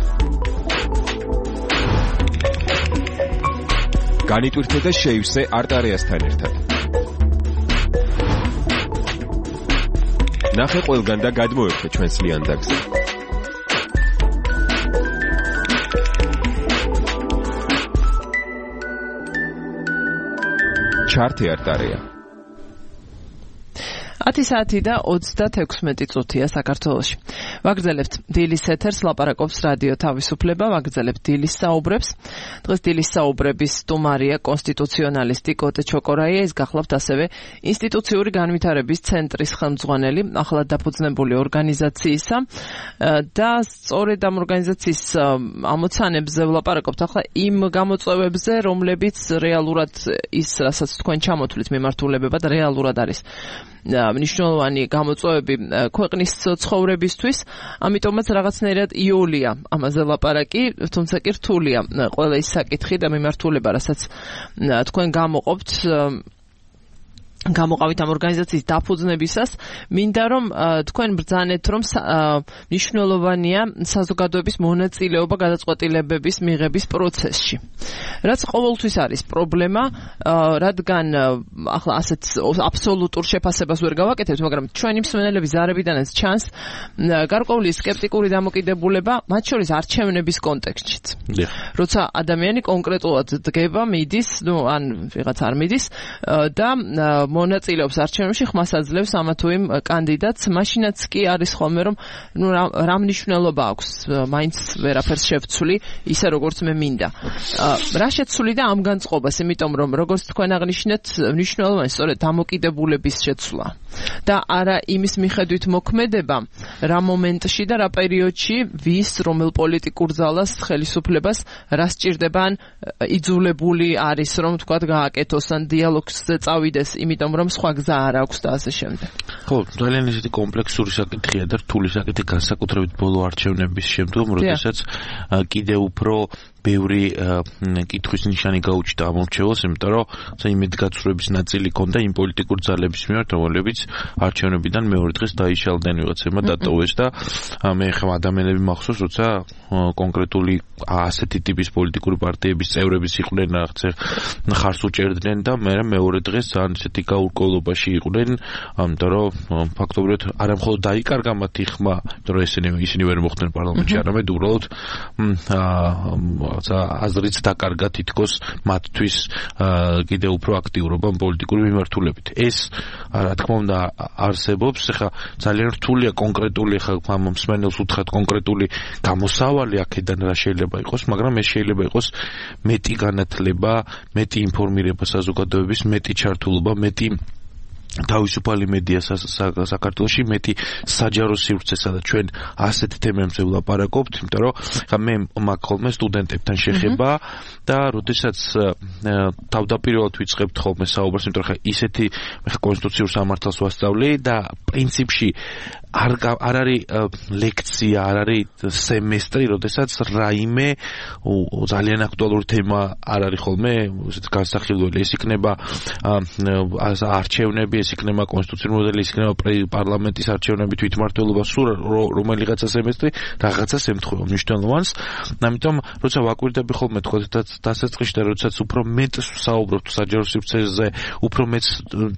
განიტვირთე და შეივსე არტარეასთან ერთად. ნახე ყველგან და გადმოერთე ჩვენს ლიანდაგზე. ჩართე არტარეა. 10 საათი და 36 წუთია საქართველოში. ვაგრძელებთ დილის ეთერს, ლაპარაკობს რადიო თავისუფლება, ვაგრძელებთ დილის საუბრებს. დღეს დილის საუბრების სტუმარია კონსტიტუციონალისტი კოტე ჩოკორაია, ის გახლავთ ასევე ინსტიტუციური განვითარების ცენტრის ხელმძღვანელი, ახლად დაფუძნებული ორგანიზაციისა და სწორედ ამ ორგანიზაციის ამოცანებზე ვლაპარაკობთ ახლა იმ გამოწვევებზე, რომლებიც რეალურად ის, რასაც თქვენ ჩამოთვლით მიმართულებებად, რეალურად არის მნიშვნელოვანი გამოწვევები ქვეყნის ცხოვრებისთვის, ამიტომაც რაღაცნაირად იოლია ამაზე ლაპარაკი, თუმცა კი რთულია ყველა ის საკითხი და მიმართულება, რასაც თქვენ გამოყავით ამ ორგანიზაციის დაფუძნებისას, მინდა რომ თქვენ ბრძანეთ, რომ მნიშვნელოვანია საზოგადოების მონაწილეობა გადაწყვეტილებების მიღების პროცესში. რაც ყოველთვის არის პრობლემა, რადგან ახლა ასეთ აბსოლუტურ შეფასებას ვერ გავაკეთებთ, მაგრამ ჩვენი მსმენელების ზარებიდანაც ჩანს გარკვეული სკეპტიკური დამოკიდებულება, მათ შორის არჩევნების კონტექსტშიც. როცა ადამიანი კონკრეტულად დგება, მიდის, ან ვიღაც არ მიდის და მონაწილეობს არჩევნებში, ხმას აძლევს ამა თუ იმ კანდიდატს, მაშინაც კი არის ხოლმე, რომ რა მნიშვნელობა აქვს, მაინც ვერაფერს შევცვლი, ისე როგორც მე მინდა. რა შეცვლი და ამ განწყობას, იმიტომ რომ როგორც თქვენ აღნიშნეთ, მნიშვნელოვანი სწორედ დამოკიდებულების შეცვლა და არა იმის მიხედვით მოქმედება, რა მომენტში და რა პერიოდში ვის რომელ პოლიტიკურ ძალას, ხელისუფლებას რა სჭირდება, ან იძულებული არის, რომ თქვა გააკეთოს ან დიალოგზე წავიდეს, იმიტომ რომ სხვა გზა არ აქვს და ასე შემდეგ. ხო, ძალიან ისეთი კომპლექსური საკითხია და რთული საკითხი განსაკუთრებით ბოლო არჩევნების შემდგომ, როდესაც კიდევ უფრო ბევრი კითხვის ნიშანი გაუჩნდა ამ არჩევნებს, იმიტომ რომ იმედგაცრუების ნაწილი ჰქონდა იმ პოლიტიკურ ძალების მიმართ, რომლებიც არჩევნებიდან მეორე დღეს დაიშალდნენ, ვიღაცებმა დატოვეს და მე ხომ ადამიანები მახსოვს, როცა კონკრეტული ასეთი ტიპის პოლიტიკური პარტიების წევრების იყვნენ, ხარს უჭერდნენ და მეორე დღეს ძალიან ისეთი გაურკვევლობაში იყვნენ, იმიტომ რომ ფაქტობრივად არა მხოლოდ დაიკარგა მათი ხმა, იმიტომ რომ ისინი ვერ მოხვდნენ პარლამენტში, არამედ უბრალოდ აზრიც დაკარგა თითქოს მათთვის კიდევ უფრო აქტიურობა პოლიტიკური მიმართულებით. ეს რა თქმა უნდა არსებობს, ეხლა ძალიან რთულია კონკრეტული, ეხლა მსმენელს უთხრათ კონკრეტული გამოსავალი აქედან რა შეიძლება იყოს, მაგრამ ეს შეიძლება იყოს მეტი განათლება, მეტი ინფორმირება საზოგადოების, მეტი ჩართულობა, მეტი თავისუფალი მედია საქართველოში, მეტი საჯარო სივრცე, სადაც ჩვენ ასეთ თემებზე ვლაპარაკობთ, იმიტომ რომ ხა მე მაქვს ხოლმე სტუდენტებთან შეხება და როდესაც თავდაპირველად ვიწყებთ ხოლმე საუბარს, იმიტომ რომ ხა ისეთი კონსტიტუციურ სამართალს ვასწავლი და პრინციპში არ არის ლექცია, არ არის სემესტრი, როდესაც რაიმე ძალიან აქტუალური თემა არ არის ხოლმე განსახილველი. ეს იქნება არჩევნები, ეს იქნება კონსტიტუციური მოდელი, ეს იქნება პარლამენტის არჩევნები, თვითმმართველობა, სულ რომელიღაცა სემესტრი რაღაცას ემთხვევა მნიშვნელოვანს. ამიტომ როცა ვაკვირდები ხოლმე თქო დასაწყისში და როდესაც უფრო მეტ საუბრობთ საჯარო სივრცეზე, უფრო მეტ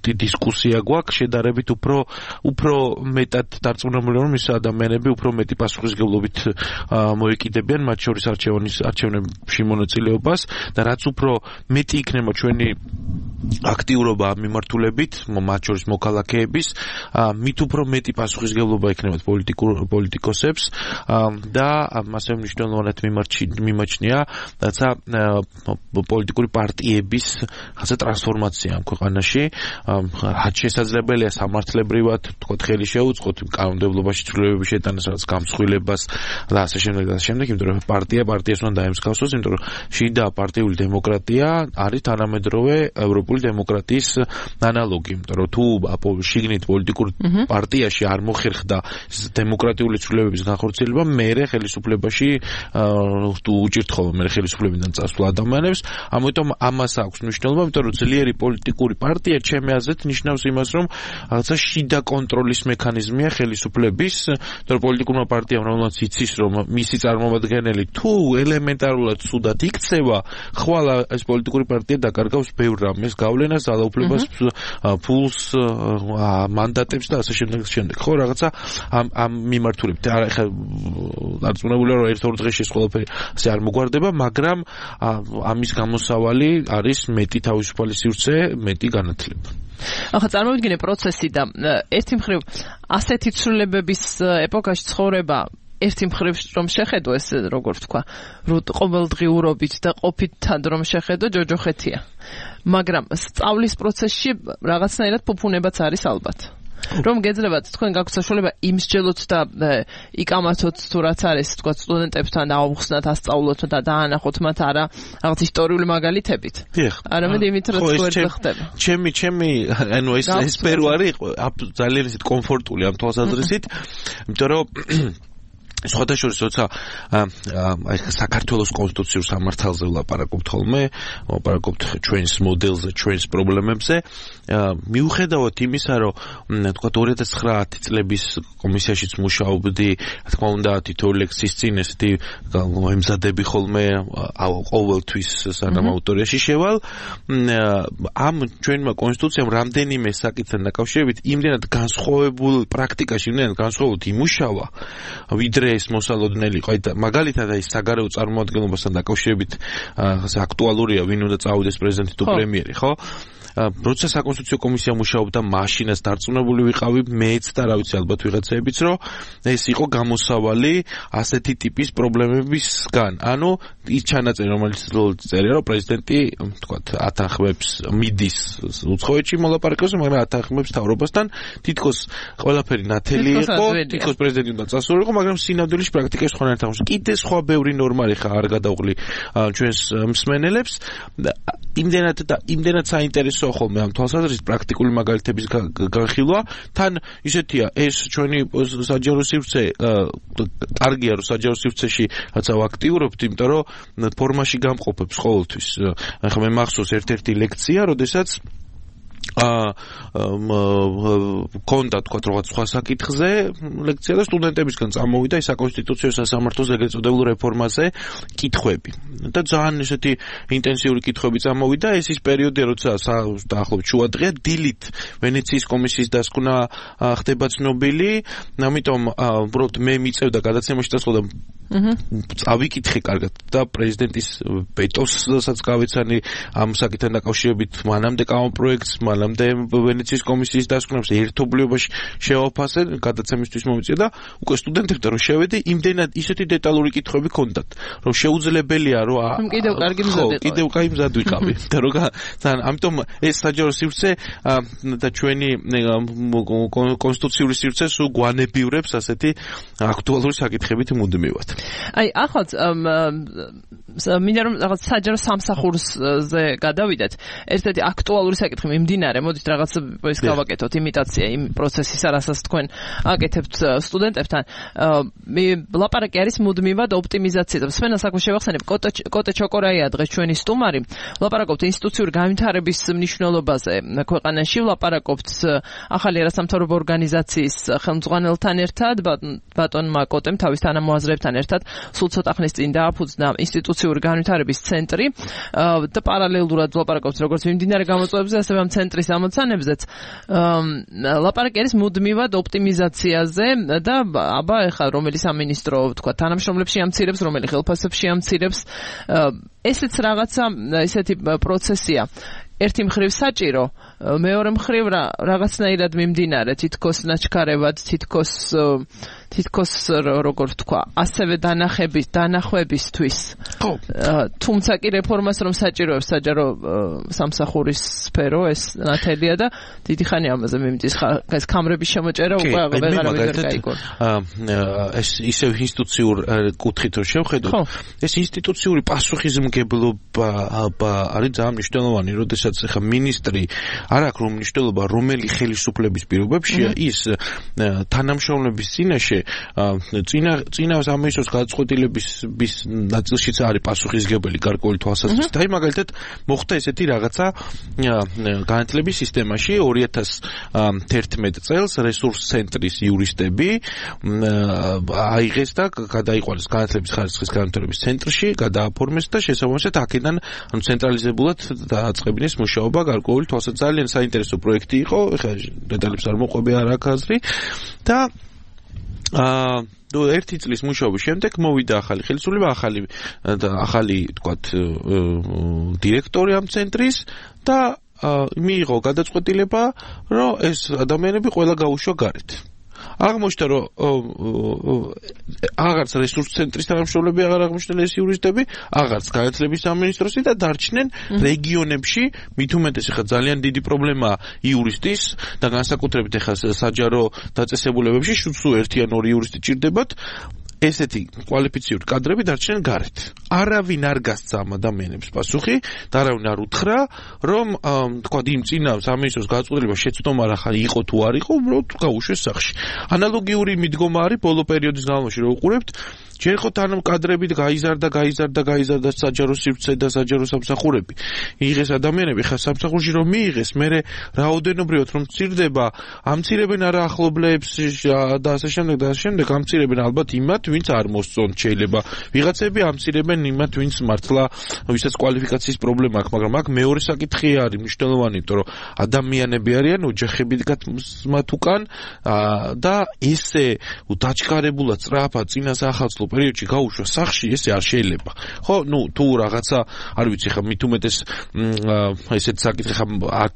დისკუსია გვაქვს, შედარებით უფრო მეტად დარწმუნებული რომ ის ადამიანები უფრო მეტი პასუხისმგებლობით მოეკიდებიან მათ შორის არჩევნებში მონაწილეობას და რაც უფრო მეტი იქნება ჩვენი აქტიურობა მიმართულებით, მათ შორის მოქალაქეების, მით უფრო მეტი პასუხისმგებლობა იქნება პოლიტიკოსებს და მასე მნიშვნელოვნად მიმაჩნია რაცა პოლიტიკური პარტიების ხაზა ტრანსფორმაცია ამ ქვეყანაში, რაც შესაძლებელია სამართლებრივად, თქო, ხელი შეუწყოთ კანონმდებლობაში ცვლილებების შეტანას, რაც გამსხვილებას და ასე შემდეგ და ასე შემდეგ, იმიტომ რომ პარტიას უნდა დაემსგავსოს, იმიტომ რომ შიდა პარტიული დემოკრატია არის თანამედროვე ევროპული დემოკრატიის ანალოგი, იმიტომ რომ თუ შიგნით პოლიტიკურ პარტიაში არ მოხერხდა დემოკრატიული ცვლილებების განხორციელება, მერე ხელისუფლებაში უჭირთ ხოლმე მერე ხელისუფლებიდან წასვლა ადამიანებს, ამიტომ ამას აქვს მნიშვნელობა, იმიტომ რომ ძლიერი პოლიტიკური პარტია ჩემი აზრით ნიშნავს იმას, რომ რაღაცა შიდა კონტროლის მექანიზმია ხელისუფლების, იმიტომ რომ პოლიტიკურმა პარტიამ რომელსაც იცის, რომ მისი წარმომადგენელი თუ ელემენტარულად ცუდად იქცევა, ხვალ ეს პოლიტიკური პარტია დაკარგავს ბევრ რამეს, გავლენას, ძალაუფლებას, ფულს, მანდატებს და ასე შემდეგ. ხო, რაღაცა ამ მიმართულებით. ახლა დარწმუნებულია, რომ ერთ-ორ დღეში ეს ყველაფერი ასე არ მოგვარდება, მაგრამ ამის გამოსავალი არის მეტი თავისუფალი სივრცე, მეტი განათლება. ახლა წარმოვიდგინე პროცესი და ერთი მხრივ ასეთი ცვლილებების ეპოქაში ცხოვრება ერთი მხრივ რომ შეხედო ეს როგორ ვთქვა, ყოველდღიურობით და ყოფითად რომ შეხედო ჯოჯოხეთია. მაგრამ სწავლის პროცესში რაღაცნაირად ფუფუნებაც არის ალბათ. რომ გეძლებათ თქვენ გაქვთ საშუალება იმსჯელოთ და იკამათოთ თუ რაც არის თქვა სტუდენტებთან აუხსნათ, ასწავლოთ და დაანახოთ მათ არა რაღაც ისტორიული მაგალითებით. არამედ იმით რაც გვერდზე ხდება. ჩემი ანუ ეს სფერო არის ძალიან ისეთ კომფორტული ამ თვალსაზრისით, იმიტომ რომ სხვადასხვა როცა საქართველოს კონსტიტუციურ სამართალზე ვლაპარაკობთ ხოლმე, ვლაპარაკობთ ჩვენს მოდელზე, ჩვენს პრობლემებზე, მიუხედავად იმისა, რომ თქვა 2009 წლების კომისიაშიც მუშაობდი, რა თქმა უნდა, თითოეული ლექსის წინ ესეთი ემზადები ხოლმე ყოველთვის სანამ ავტორიაში შევალ, ამ ჩვენმა კონსტიტუციამ რამდენიმე საკითხთან დაკავშირებით იმდენად განსხვავებულ პრაქტიკაში, იმდენად განსხვავებულად იმუშავა, ვიდრე ეს მოსალოდნელი იყო, მაგალითად აი საგარეო წარმოადგენლობასთან დაკავშირებით აქტუალურია, ვინ უნდა წავიდეს პრეზიდენტი თუ პრემიერი, ხო? როცა საკონსტიტუციო კომისია მუშაობდა, მაშინაც დარწმუნებული ვიყავი, მეც და რა ვიცი, ალბათ ვიღაცებიც, რომ ეს იყო გამოსავალი ასეთი ტიპის პრობლემებისგან. ანუ ის ჩანაწერი, რომელიც წერია, რომ პრეზიდენტი, თქვათ, ათანხმებს მიდის უცხოეთში მოლაპარაკებას, მაგრამ ათანხმებს მთავრობასთან, თითქოს ყველაფერი ნათელი იყო, თითქოს პრეზიდენტი უნდა წასულიყო, მაგრამ სინამდვილეში პრაქტიკაში სხვანაირად აღმოჩნდა. კიდე სხვა ბევრი ნორმალი ხა არ გადავღლი ჩვენს მსმენელებს. იმდენად საინტერესო ხოლმე ამ თვალსაზრისით პრაქტიკული მაგალითების განხილვა, თან ისეთია ეს ჩვენი საჯარო სივრცე, კარგია რომ საჯარო სივრცეში რაცა ვაქტიურობთ, იმიტომ რომ ფორმაში გამყოფებს ყოველთვის. ახლა მე მახსოვს ერთ-ერთი ლექცია, როდესაც კონდა თქვა რაღაც სხვა საკითხზე ლექცია და სტუდენტებისგან წამოვიდა ის საკონსტიტუციო სასამართლოს ეგრეთ წოდებულ რეფორმაზე კითხვები. და ძალიან ესეთი ინტენსიური კითხვები წამოვიდა, ეს ის პერიოდი, როცა დაახლოებით შუადღეა, დილით ვენეციის კომისიის დასკვნა ხდება ცნობილი, ამიტომ უბრალოდ მე მიწევდა გადაცემაში და სხვა წავიკითხე კარგად და პრეზიდენტის ვეტოსაც გავეცანი ამ საკითხთან დაკავშირებით, მანამდე კანონპროექტს, მანამდე ვენეციის კომისიის დასკვნებს ერთობლიობაში შევაფასე, გადაცემისთვის მომიწია და უკვე სტუდენტებთან რომ შევედი, იმდენად ისეთი დეტალური კითხვები ჰქონდათ, რომ შეუძლებელია რომ კიდევ კარგი მზად კიდევ კაი მზად ვიყავი. და რომ ამიტომ ეს საჯარო სივრცე და ჩვენი კონსტიტუციური სივრცე სულ გვანებივრებს ასეთი აქტუალური საკითხებით მუდმივად. აი, ახალ მინდა რომ რაღაც საჯარო სამსახურზე გადავიდეთ. ერთ-ერთი აქტუალური საკითხი მიმდინარე, მოდით რაღაც ის გავაკეთოთ იმიტაცია იმ პროცესისა, რასაც თქვენ აკეთებთ სტუდენტებთან. ლაპარაკი არის მუდმივად ოპტიმიზაცია. სვენას აქვე შევახსენებ, კოტე ჩოკორაია დღეს ჩვენი სტუმარი. ლაპარაკობთ ინსტიტუციური განვითარების მნიშვნელობაზე ქვეყანაში, ლაპარაკობთ ახალი არასამთავრობო ორგანიზაციის ხელმძღვანელთან ერთად, ბატონმა კოტემ თავის თანამოაზრეებთან ერთად სულ ცოტა ხნის წინ დააფუძნა ინსტიტუციური განვითარების ცენტრი და პარალელურად ლაპარაკობთ როგორც მიმდინარე გამოწვევებზე, ასევე ამ ცენტრის ამოცანებზეც. ლაპარაკი არის მუდმივად ოპტიმიზაციაზე და აბა ეხლა რომელი სამინისტრო თქვა თანამშრომლებში ამცირებს, რომელი ხელფასებში ამცირებს. ესეც რაღაცა ესეთი პროცესია. ერთი მხრივ საჭირო, მეორე მხრივ რაღაცნაირად მიმდინარე თითქოს ნაჩქარებად, თითქოს როგორ ვთქვა, ასევე დანახვებისთვის. თუმცა კი რეფორმას რომ საჭიროებს საჯარო სამსახურის სფერო ეს ნათელია და დიდი ხანი ამაზე მიმდის ეს კამრების შემოჭერა უკვე აღარ გაიგო. ეს ისევ ინსტიტუციურ კუთხით რომ შევხედოთ, ეს ინსტიტუციური პასუხისმგებლობა არის ძალიან მნიშვნელოვანი, როდესაც ახლა მინისტრი არ აქვს რომ მნიშვნელობა რომელი ხელისუფლების პირობებშია ის თანამშრომლების წინაშე წინა სამინისტროს გადაწყვეტილების ნაწილშიც არის პასუხისმგებელი გარკვეული თვალსაზრისით. აი მაგალითად მოხდა ესეთი რაღაცა განათლების სისტემაში 2011 წელს რესურს ცენტრის იურისტები აიღეს და გადაიყვანეს განათლების ხარისხის განვითარების ცენტრში, გადააფორმეს და შესაბამისად აქედან ცენტრალიზებულად დააწყებინეს მუშაობა გარკვეული თვალსაზრისით. ძალიან საინტერესო პროექტი იყო, ეხლა დეტალებს არ მოყვები არ აქვს აზრი და ერთი წლის მუშაობის შემდეგ მოვიდა ახალი ხელისუფლება, ახალი თქვათ დირექტორი ამ ცენტრის და მიიღო გადაწყვეტილება, რომ ეს ადამიანები ყველა გაუშვა გარეთ. აღმოჩნდა, რომ აღარც რესურს ცენტრის თანამშრომლები აღარ აღმოჩნდნენ ეს იურისტები, აღარც განათლების სამინისტროსი და დარჩნენ რეგიონებში, მით უმეტეს ახლა ძალიან დიდი პრობლემაა იურისტის და განსაკუთრებით ახლა საჯარო დაწესებულებებში სულ ერთი ან ორი იურისტი ჭირდებათ. ესეთი კვალიფიციური კადრები დარჩნენ გარეთ. არავინ არ გასცა ამ ადამიანებს პასუხი და არავინ არ უთხრა, რომ თქვა იმ წინა სამინისტროს გადაწყვეტილება შეცდომა რა ხარ იყო თუ არ იყო, უბრალოდ გაუშვეს სახში. ანალოგიური მიდგომა არის ბოლო პერიოდის განმავლობაში რო უყურებთ, ჯერ ხო თან კადრები გაიზარდა საჯარო სივრცე და საჯარო სამსახურები. იღეს ადამიანები, ხა სამსახურში რომ მიიღეს, მერე რაოდენობრივად რომ მცირდება, ამცირებენ არა ახლობლებს და ასე შემდეგ, ამცირებენ ალბათ იმათ, ვინც არ მოსწონთ შეიძლება. ვიღაცები ამცირებენ იმათ, ვინც მართლა ვისაც კვალიფიკაციის პრობლემა აქვს, მაგრამ აქ მეორე საკითხი არის მნიშვნელოვანი, იმიტომ რომ ადამიანები არიან ოჯახები მათ უკან და ესე დაჩქარებულად სწრაფად წინა სახალხო პერიოდში გაუშვა სახში, ესე არ შეიძლება. ხო, თუ რაღაცა, არ ვიცი, ხა მით უმეტეს ესეთ საკითხი ხა აქ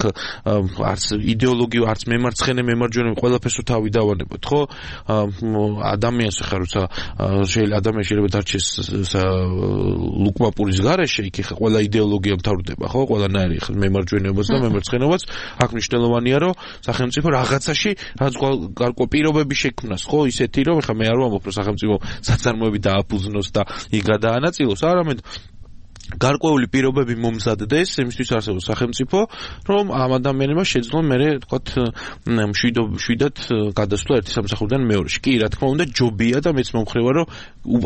არც იდეოლოგია, არც მემარცხენე, მემარჯვენე ყველაფერს თავი დავანებოთ, ხო? ადამიანს ხა როცა ადამიანი შეიძლება დარჩეს ლუკმაპურის გარეშე, იქ ხა ყველა იდეოლოგია მთავრდება, ხო? ყველანაირი ხა მემარჯვენეობაც და მემარცხენეობაც აქ მნიშვნელოვანია, რომ სახელმწიფო რაღაცაში რაც გარკვეულ პირობები შექმნას, ხო? ისეთი რომ ხა მე არ ვამბობ, რომ სახელმწიფო საწარმოები დააფუძნოს და იქ გადაანაწილოს, არამედ გარკვეული პირობები მომზადდეს იმისთვის არსებობს სახელმწიფო, რომ ამ ადამიანებმა შეძლონ მერე თქვათ მშვიდად გადასვლა ერთი სამსახურიდან მეორეში. კი, რა თქმა უნდა, ჯობია და მეც მომხრევა, რომ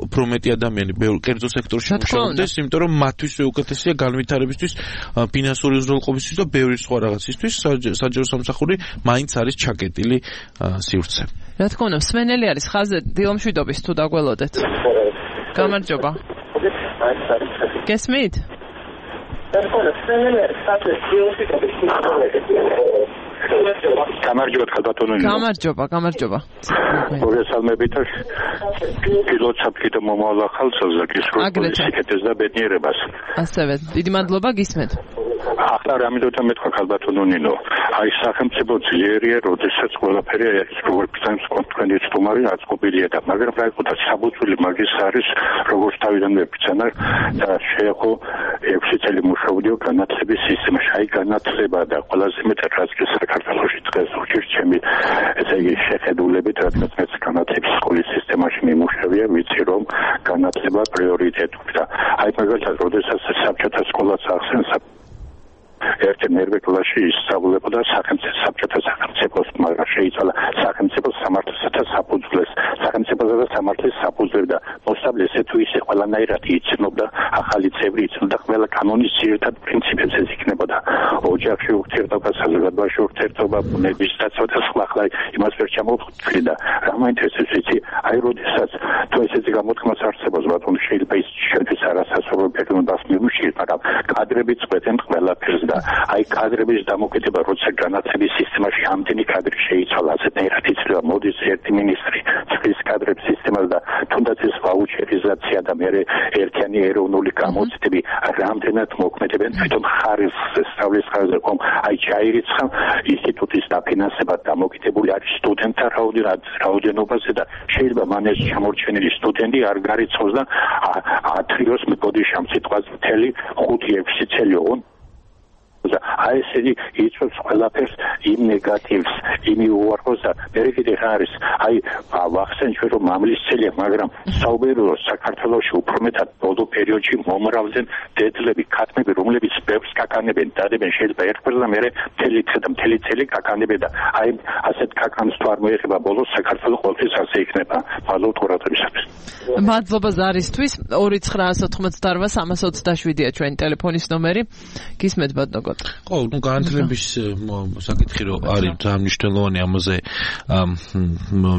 უფრო მეტი ადამიანი კერძო სექტორში მუშაობდეს, იმიტომ რომ მათთვის უკეთესია განვითარებისთვის, ფინანსური უზრუნველყოფისთვის და ბევრი სხვა რაღაცისთვის საჯარო სამსახური მაინც არის ჩაკეტილი სივრცე. რა თქმა უნდა, მსმენელი არის ხაზზე დილამშვიდობის თუ დაგველოდეთ. გამარჯობა. გესმით? გამარჯობა ხალბატონო. გამარჯობა. მოგესალმებით. პილოტ საფრთხით მომავალ ახალწელს და გისურვებთ სიკეთეს და ბედნიერებას. ასევე დიდი მადლობა გისმენთ. ახლა რამოდენმე მეთქვა ხალბატონო ნინო. აი სახელმწიფო ძლიერია, როდესაც ყველაფერი არის როგორც ფინანს კონტროლი სტუმარი აწყობილია და მაგრამ რა იყო და საბუთული მაგის არის როგორც თავიდანვე ფიცანარ და შეეხო 6 წელი მუშაობდიო განათლების სისტემაში. აი განათლება და ყველაზე მეტად რაც საქართველოში დღეს უჭირს ჩემი ესე იგი შეხედულებით, რადგან მეც განათლების სკოლის სისტემაში მიმუშავია, ვიცი რომ განათლება პრიორიტეტია და აი მაგალითად როდესაც საბჭოთა სკოლას ახსენს ერთი მერვე კლასში ისწავლებოდა საბჭოთა სახელმწიფოს, მაგრამ შეიცვალა სახელმწიფო სამართლისა და საფუძვლეს, სახელმწიფოსა და სამართლის საფუძვლები და მოსწავლე ესე თუ ისე ყველანაირად იცნობდა, ახალი წევრი იცნობდა ყველა კანონის ძირითად პრინციპებს, ეს იქნებოდა ოჯახში ურთიერთობა, საზოგადოებაში ურთიერთობა, ბუნების დაცვა და სხვა. ახლა იმას ვერ ჩამოვთვლი და რა მაინტერესებს ვიცი, აი როდესაც თუ ესეთი გამოთქმას არსებობს, ბატონო შეიძლება ის შედის არასასურველ პიროვნებას მიუჩიეთ, მაგრამ კადრები წვეთენ ყველაფერს და აი კადრების დამოკიდება, როცა განათლების სისტემაში ამდენი კადრი შეიცვალა, ასეთნაირად იცვლება, მოდის ერთი მინისტრი წყლის კადრების სისტემა სისტემას და თუნდაც ეს ვაუჩერიზაცია და მე ერთიანი ეროვნული გამოცდები რამდენად მოქმედებენ თვითონ ხარისხზე სწავლის ხარისხზე ხომ აი ჩაირიცხა ინსტიტუტის დაფინანსება დამოკიდებული არის სტუდენტთა რაოდენობაზე და შეიძლება მან ეს ჩამორჩენილი სტუდენტი არ გარიცხოს და ათრიოს მეკოდიშამ სიტყვაზე 5-6 წელი ოღონ აი ესე იწვევს ყველაფერს იმ ნეგატივს, იმ უარყოს და მე კიდე არის აი ვახსენ ჩვენ რომ მამლისცელია, მაგრამ საუბაროა საქართველოში უფრო მეტად ბოლო პერიოდში მომრავლდნენ დედლები, ქათმები, რომლებიც ბევრს კაკანებენ, დადებენ შეიძლება ერთგვარს და მერე მთელი წელი კაკანებენ და აი ასეთ კაკანს თუ არ მოეხება ბოლოს საქართველოს ყოველთვის ასე იქნება. მადლობთ ყურადღებისათვის. მადლობა ზარისთვის 29988-327-ია ჩვენი ტელეფონის ნომერი. გისმენთ ბატონო. ხო, ну განათლების საკითხი რო არის ძალიან მნიშვნელოვანი ამაზე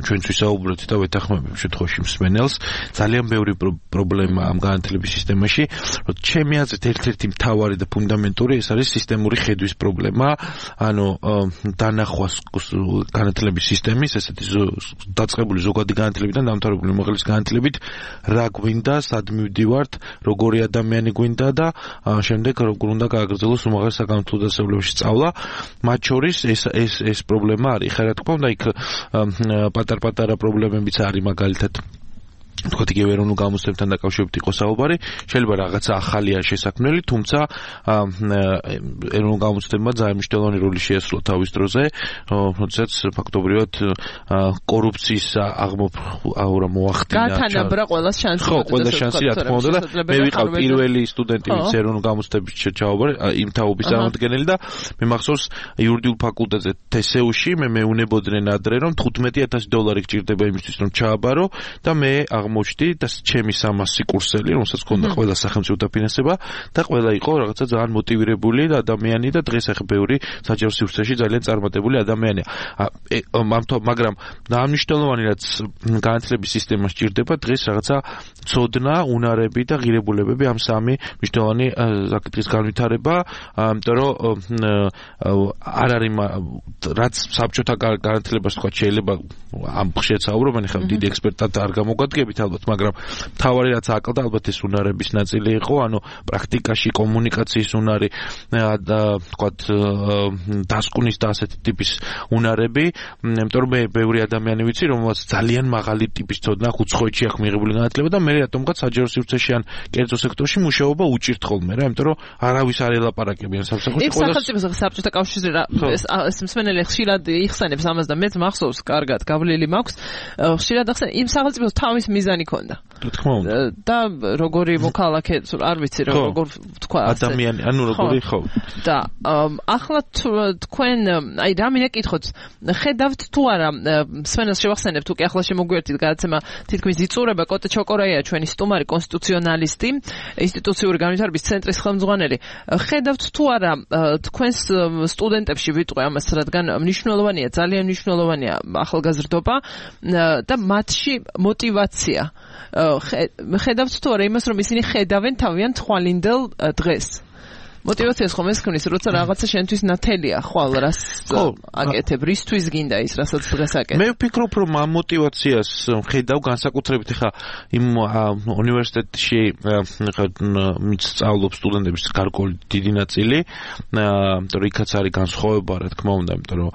ჩვენც ვისაუბრეთ და ვეთანხმებით შემთხვევაში მსმენელს ძალიან ბევრი პრობლემა ამ განათლების სისტემაში რომ ჩემი აზრით ერთ-ერთი მთავარი და ფუნდამენტური ეს არის სისტემური ხედვის პრობლემა ანუ დანახვას განათლების სისტემის ესეთი დაწყებული ზოგადი განათლებიდან დამთავრებული უმაღლესი განათლებით რა გვინდა სად მივდივართ როგორი ადამიანი გვინდა და შემდეგ როგორ უნდა გააგრძელოს უმაღლეს საკანონმდებლო დასავლებში სწავლა მათ შორის ეს პრობლემა არის ხა რა თქმა უნდა იქ პატარ-პატარა პრობლემებიც არის მაგალითად თქვათ იგივე ეროვნულ გამოცდებთან დაკავშირებით იყო საუბარი შეიძლება რაღაცა ახალია შესაქმნელი თუმცა ეროვნულ გამოცდებმა ძალიან მნიშვნელოვანი როლი შეასრულა თავის დროზე როდესაც ფაქტობრივად კორუფციის აღმოფხვრა მოახდინა გათანაბრა ყველას შანსი ხო ყველა შანსი რა თქმა უნდა და მე ვიყავ პირველი სტუდენტი ვინც ეროვნულ გამოცდების ჩაავარ იმ თაობის წარმომადგენელი და მე მახსოვს იურიდიულ ფაკულტეტზე TSU-ში მე მეუნებოდნენ ადრე რომ $15,000 გჭირდება იმისთვის რომ ჩააბარო და მე აღმოჩნდი და ჩემი 300 კურსელი, რომელსაც ჰქონდა ყველა სახელმწიფო დაფინანსება და ყველა იყო რაღაცა ძალიან მოტივირებული ადამიანი და დღეს ახლა ბევრი საჯარო სივრცეში ძალიან წარმატებული ადამიანია. მაგრამ მნიშვნელოვანი რაც განათლების სისტემას ჭირდება დღეს რაღაცა ცოდნა, უნარები და ღირებულებები ამ სამი მნიშვნელოვანი საკითხის განვითარება, იმიტომ რომ არ არის რაც საბჭოთა განათლებას თქვა შეიძლება ამ ხშირად საუბრობენ ახლა დიდი ექსპერტად არ გამოგვადგებით ალბათ, მაგრამ თავარი რაც აკლდა ალბათ ეს უნარების ნაწილი იყო, ანუ პრაქტიკაში კომუნიკაციის უნარი და თქვათ დასკვნის და ასეთი ტიპის უნარები, იმიტომ რომ მე ბევრი ადამიანი ვიცი, რომელსაც ძალიან მაღალი ტიპის ცოდნა უცხოეთში აქვს მიღებული განათლება და მე რატომღაც საჯარო სივრცეში ან კერძო სექტორში მუშაობა უჭირთ ხოლმე რა, იმიტომ რომ არავის არ ელაპარაკებიან სამსახურში სახელმწიფო საბჭოთა კავშირი ეს მსმენელი ხშირად იხსენებს ამას და მეც მახსოვს კარგად გავლილი მაქვს ხშირად ახსენ იმ სახელმწიფოს თავის მიზანი ქონდა. თქმა უნდა. და როგორი მოქალაქე, არ ვიცი როგორ თქვა ასე. ადამიანი, ანუ როგორი ხო. და ახლა თქვენ აი რა მინდა კითხოთ, ხედავთ თუ არა მსმენელს შევახსენებთ უკვე ახლა შემოგვიერთით გადაცემა თითქმის იწურება კოტე ჩოკორაია ჩვენი სტუმარი კონსტიტუციონალისტი, ინსტიტუციური განვითარების ცენტრის ხელმძღვანელი. ხედავთ თუ არა თქვენს სტუდენტებში ვიტყვი ამას, რადგან მნიშვნელოვანია, ძალიან მნიშვნელოვანია ახალგაზრდობა და მათში мотивация. ხედავთ თუ არა იმას რომ ისინი ხედავენ თავიანთ თვალინდელ დღეს. мотивациას ხომ ეს ქმნის, როცა რაღაცა შენთვის ნათელია, ხვალ რას აკეთებ, რისთვის გინდა ის, რასაც დღეს აკეთებ. მე ვფიქრობ, რომ ამ мотивациას ხედავ განსაკუთრებით ხა იმ უნივერსიტეტში სწავლობს სტუდენტების გარკვეული დიდი ნაწილი, იმიტომ რომ იქაც არის განსხვავება, რა თქმა უნდა, იმიტომ რომ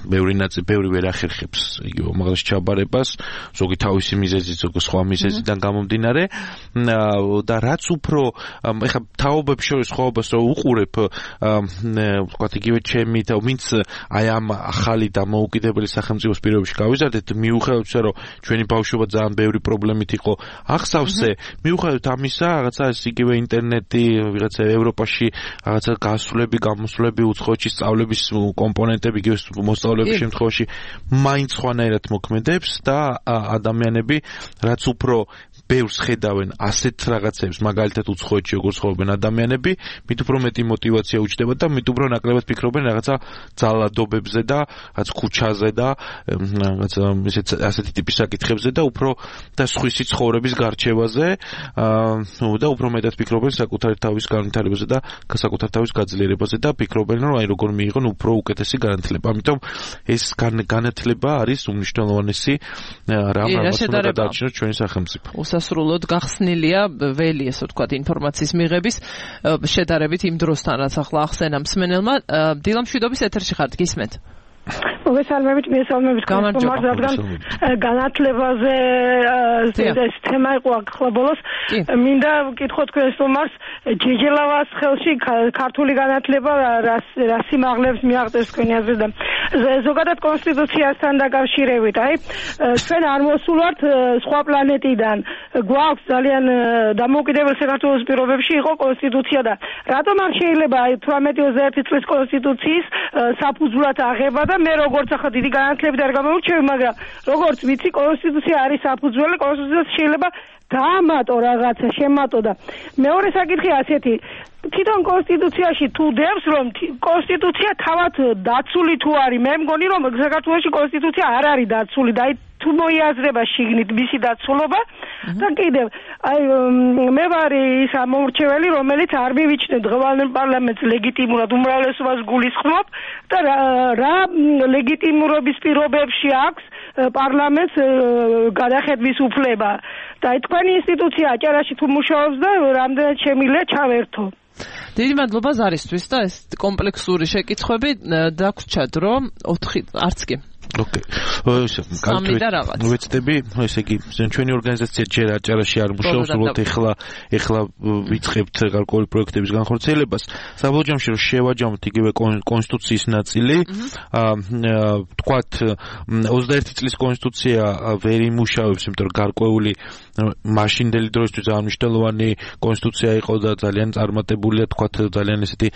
ბევრი ვერ ახერხებს იგივე უმაღლეს ჩაბარებას, ზოგი თავისი მიზეზით, ზოგი სხვა მიზეზიდან გამომდინარე და რაც უფრო ხა თაობებს შორის ხოვებას რო უყურებ ვთქვათ იგივე ჩემი და ვინც აი ამ ახალი დამოუკიდებელი სახელმწიფოს პირობებში გავიზარდეთ მიუხედავად რომ ჩვენი ბავშვობა ძალიან ბევრი პრობლემით იყო ახსავსე მიუხედავად ამისა რაღაცა ეს იგივე ინტერნეტი ვიღაცა ევროპაში რაღაცა გასვლები გამოსვლები უცხოეთში სწავლების კომპონენტები იგივე მოსწავლეების შემთხვევაში მაინც სხვანაირად მოქმედებს და ადამიანები რაც უფრო ბევრს ხედავენ ასეთ რაღაცებს, მაგალითად უცხოეთში როგორ ცხოვრობენ ადამიანები, მით უფრო მეტი мотиваცია უჩნდება და მით უფრო ნაკლებად ფიქრობენ რაღაცა ძალადობებზე და რაც ქუჩაზე და რაღაცა ასეთი ტიპის საკითხებზე და უფრო და სხვისი ცხოვრების გარჩევაზე და უფრო მეტად ფიქრობენ საკუთარი თავის განვითარებაზე და საკუთარ თავის გაძლიერებაზე და ფიქრობენ რომ აი როგორ მიიღონ უფრო უკეთესი განათლება. ამიტომ ეს განათლება არის უმნიშვნელოვანესი რამაც უნდა გადაარჩინოს ჩვენი სახელმწიფო. უსასრულოდ გახსნილია ველი, ესე ვთქვათ, ინფორმაციის მიღების შედარებით იმ დროსთან, რაც ახლა ახსენა მსმენელმა. დილა მშვიდობის ეთერში ხართ, გისმენთ? მოგესალმებით, რადგან განათლებაზე ეს თემა იყო ახლა ბოლოს. მინდა ვკითხო თქვენ სტუმარს, ჯეჯელავას ხელში ქართული განათლება რა სიმაღლებს მიაღწევს თქვენი აზრით და ზოგადად კონსტიტუციასთან დაკავშირებით, აი ჩვენ არ მოსულვართ სხვა პლანეტიდან. გვაქვს ძალიან დამოუკიდებელ საქართველოს პირობებში იყო კონსტიტუცია და რატომ არ შეიძლება აი 18-21 წლის კონსტიტუციის საფუძვლად აღება და მე როგორც ახლა დიდი განათლებით არ გამოვირჩევი, მაგრამ როგორც ვიცი, კონსტიტუცია არის საფუძველი, კონსტიტუციას შეიძლება დაამატო რაღაცა, შემატო და მეორე საკითხი ასეთი, თვითონ კონსტიტუციაში თუ დევს, რომ კონსტიტუცია თავად დაცული თუ არის, მე მგონი რომ საქართველოში კონსტიტუცია არ არის დაცული და აი თუ მოიაზრება შიგნით მისი დაცულობა და კიდევ აი მე ვარ ის ამორჩეველი, რომელიც არ მივიჩნევ დღევანდელ პარლამენტს ლეგიტიმურად უმრავლესობას გულისხმობ და რა ლეგიტიმურობის პირობებში აქვს პარლამენტს გადახედვის უფლება და თქვენი ინსტიტუცია აჭარაში თუ მუშაობს და რამდენად შემიძლია ჩავერთო. დიდი მადლობა ზარისთვის და ეს კომპლექსური შეკითხვები დაგვრჩა დრო 4 არც კი. ოკეი. ვეცდები, ესე იგი, ჩვენი ორგანიზაცია ჯერ აჭარაში არ მუშაობს, უბრალოდ ეხლა ვიწყებთ გარკვეული პროექტების განხორციელებას. საბოლოო ჯამში რომ შევაჯამოთ იგივე კონსტიტუციის ნაწილი, თქვათ 21 წლის კონსტიტუცია ვერ იმუშავებს, იმიტომ რომ გარკვეული მაშინდელი დროისთვის ძალიან მნიშვნელოვანი კონსტიტუცია იყო და ძალიან წარმატებულია, თქვათ ძალიან ესეთი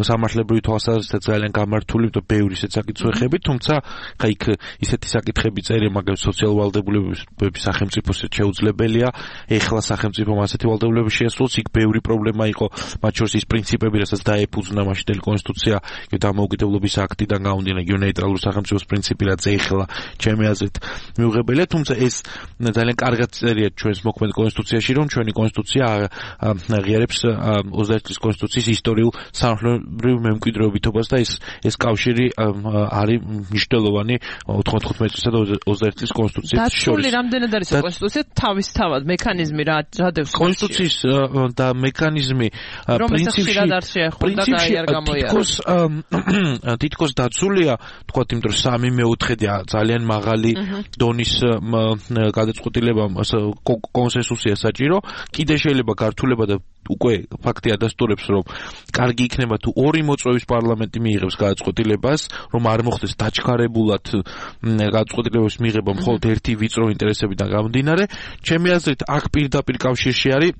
სამართლებრივი თვალსაზრისით ძალიან გამართული და ბევრი ისეთ საკითხები, თუმცა ხა იქ ისეთი საკითხები წერია, მაგალითად სოციალური ვალდებულების სახელმწიფოს შეუძლებელია, ეხლა სახელმწიფომ ასეთი ვალდებულება შეასრულოს, იქ ბევრი პრობლემა იყო, მათ შორის ის პრინციპები, რასაც დაეფუძნა მაშინდელი კონსტიტუცია, დამოუკიდებლობის აქტიდან გამომდინარე, ნეიტრალური სახელმწიფოს პრინციპი, რაც ეხლა ჩემი აზრით მიუღებელია, თუმცა ეს ძალიან კარგად წერია ჩვენს მოქმედ კონსტიტუციაში, რომ ჩვენი კონსტიტუცია აღიარებს 21 წლის კონსტიტუციის ისტორიულ სამართლებრივ მემკვიდრეობითობას და ეს კავშირი არის მნიშვნელოვანი 95 წლისა და 21 წლის კონსტიტუციის შორის. დაცული რამდენად არის კონსტიტუცია თავისთავად მექანიზმი რა დევს კონსტიტუციის და მექანიზმი პრინციპში თითქოს დაცულია, თქვათ, იმიტომ რომ 3/4 ძალიან მაღალი დონის გადაწყვეტილება კონსენსუსია საჭირო, კიდე შეიძლება გართულება და უკვე ფაქტი ადასტურებს, რომ კარგი იქნება თუ ორი მოწვევის პარლამენტი მიიღებს გადაწყვეტილებას, რომ არ მოხდეს დაჩქარებულად გადაწყვეტილების მიღება მხოლოდ ერთი ვიწრო ინტერესებიდან გამომდინარე. ჩემი აზრით, აქ პირდაპირ კავშირში არის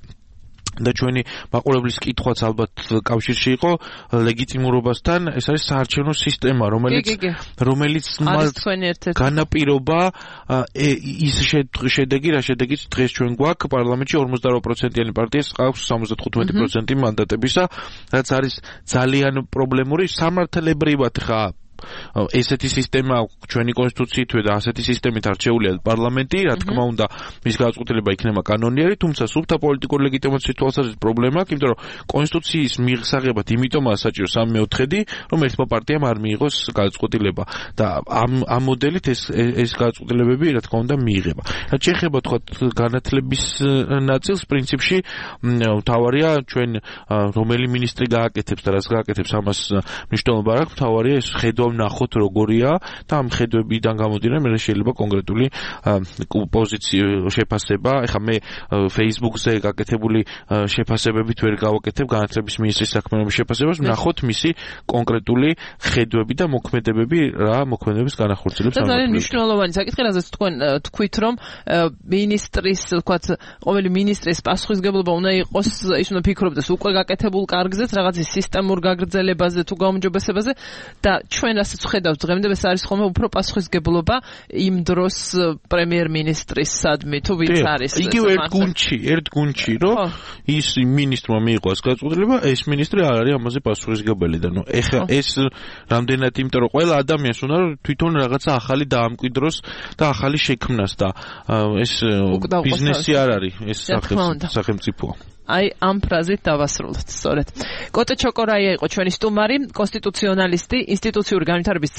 და ჩვენი მაყურებლის კითხვაც ალბათ კავშირში იყო ლეგიტიმურობასთან, ეს არის საარჩევნო სისტემა, რომელიც განაპირობა ის შედეგი, რა შედეგიც დღეს ჩვენ გვაქვს პარლამენტში 48%-იანი პარტიას ყავს 75% მანდატებისა, რაც არის ძალიან პრობლემური. სამართლებრივად ხა ესეთი სისტემა ჩვენი კონსტიტუციით და ასეთი სისტემით არჩეულია პარლამენტი, რა თქმა უნდა, მის გადაწყვეტილება იქნება კანონიერი, თუმცა სუფთა პოლიტიკური ლეგიტიმაციის თვალსაზრისით პრობლემა აქვს, იმიტომ რომ კონსტიტუციის მიღსაღებად იმიტომაა საჭირო 3/4, რომ ერთმა პარტიამ არ მიიღოს გადაწყვეტილება და ამ მოდელით ეს გადაწყვეტილებები, რა თქმა უნდა, მიიღება. რაც შეეხება თქვა განათლების ნაწილს, პრინციპში მთავარია ჩვენ რომელი მინისტრი გააკეთებს და რას გააკეთებს, ამას მნიშვნელობა არ აქვს, მთავარია ეს ხედვა ვნახოთ როგორია და ამ ხედვებიდან გამომდინარე მე შეიძლება კონკრეტული პოზიცია შეფასება. ეხლა მე Facebook-ზე გაკეთებული შეფასებებით ვერ გავაკეთებ განათლების მინისტრის საქმიანობის შეფასებას, ვნახოთ მისი კონკრეტული ხედვები და მოქმედებები რა მოქმედების განახორციელებს. და ძალიან მნიშვნელოვანი საკითხი, რაზეც თქვით, რომ მინისტრის, თქვათ, ყოველი მინისტრის პასუხისგებლობა უნდა იყოს, ის უნდა ფიქრობდეს უკვე გაკეთებულ კარგზეც, რაღაც სისტემურ გაგრძელებაზე თუ გაუმჯობესებაზე და ჩვენ რასაც ხედავთ დღემდე ეს არის ხოლმე უფრო პასუხისგებლობა იმ დროს პრემიერ-მინისტრის სადმი თუ ვინც არის იგივე ერთ გუნდში რომ ის მინისტრმა მიიღო ეს გაწყვეტილება ეს მინისტრი არ არის ამაზე პასუხისგებელი და ეხლა ეს რამდენად იმიტომ რომ ყველა ადამიანს უნდა რომ თვითონ რაღაცა ახალი დაამკვიდროს და ახალი შექმნას და ეს ბიზნესი არ არის ეს სახელმწიფოა აი ამ ფრაზით დავასრულოთ სწორედ. კოტე ჩოკორაია იყო ჩვენი სტუმარი, კონსტიტუციონალისტი, ინსტიტუციური განვითარების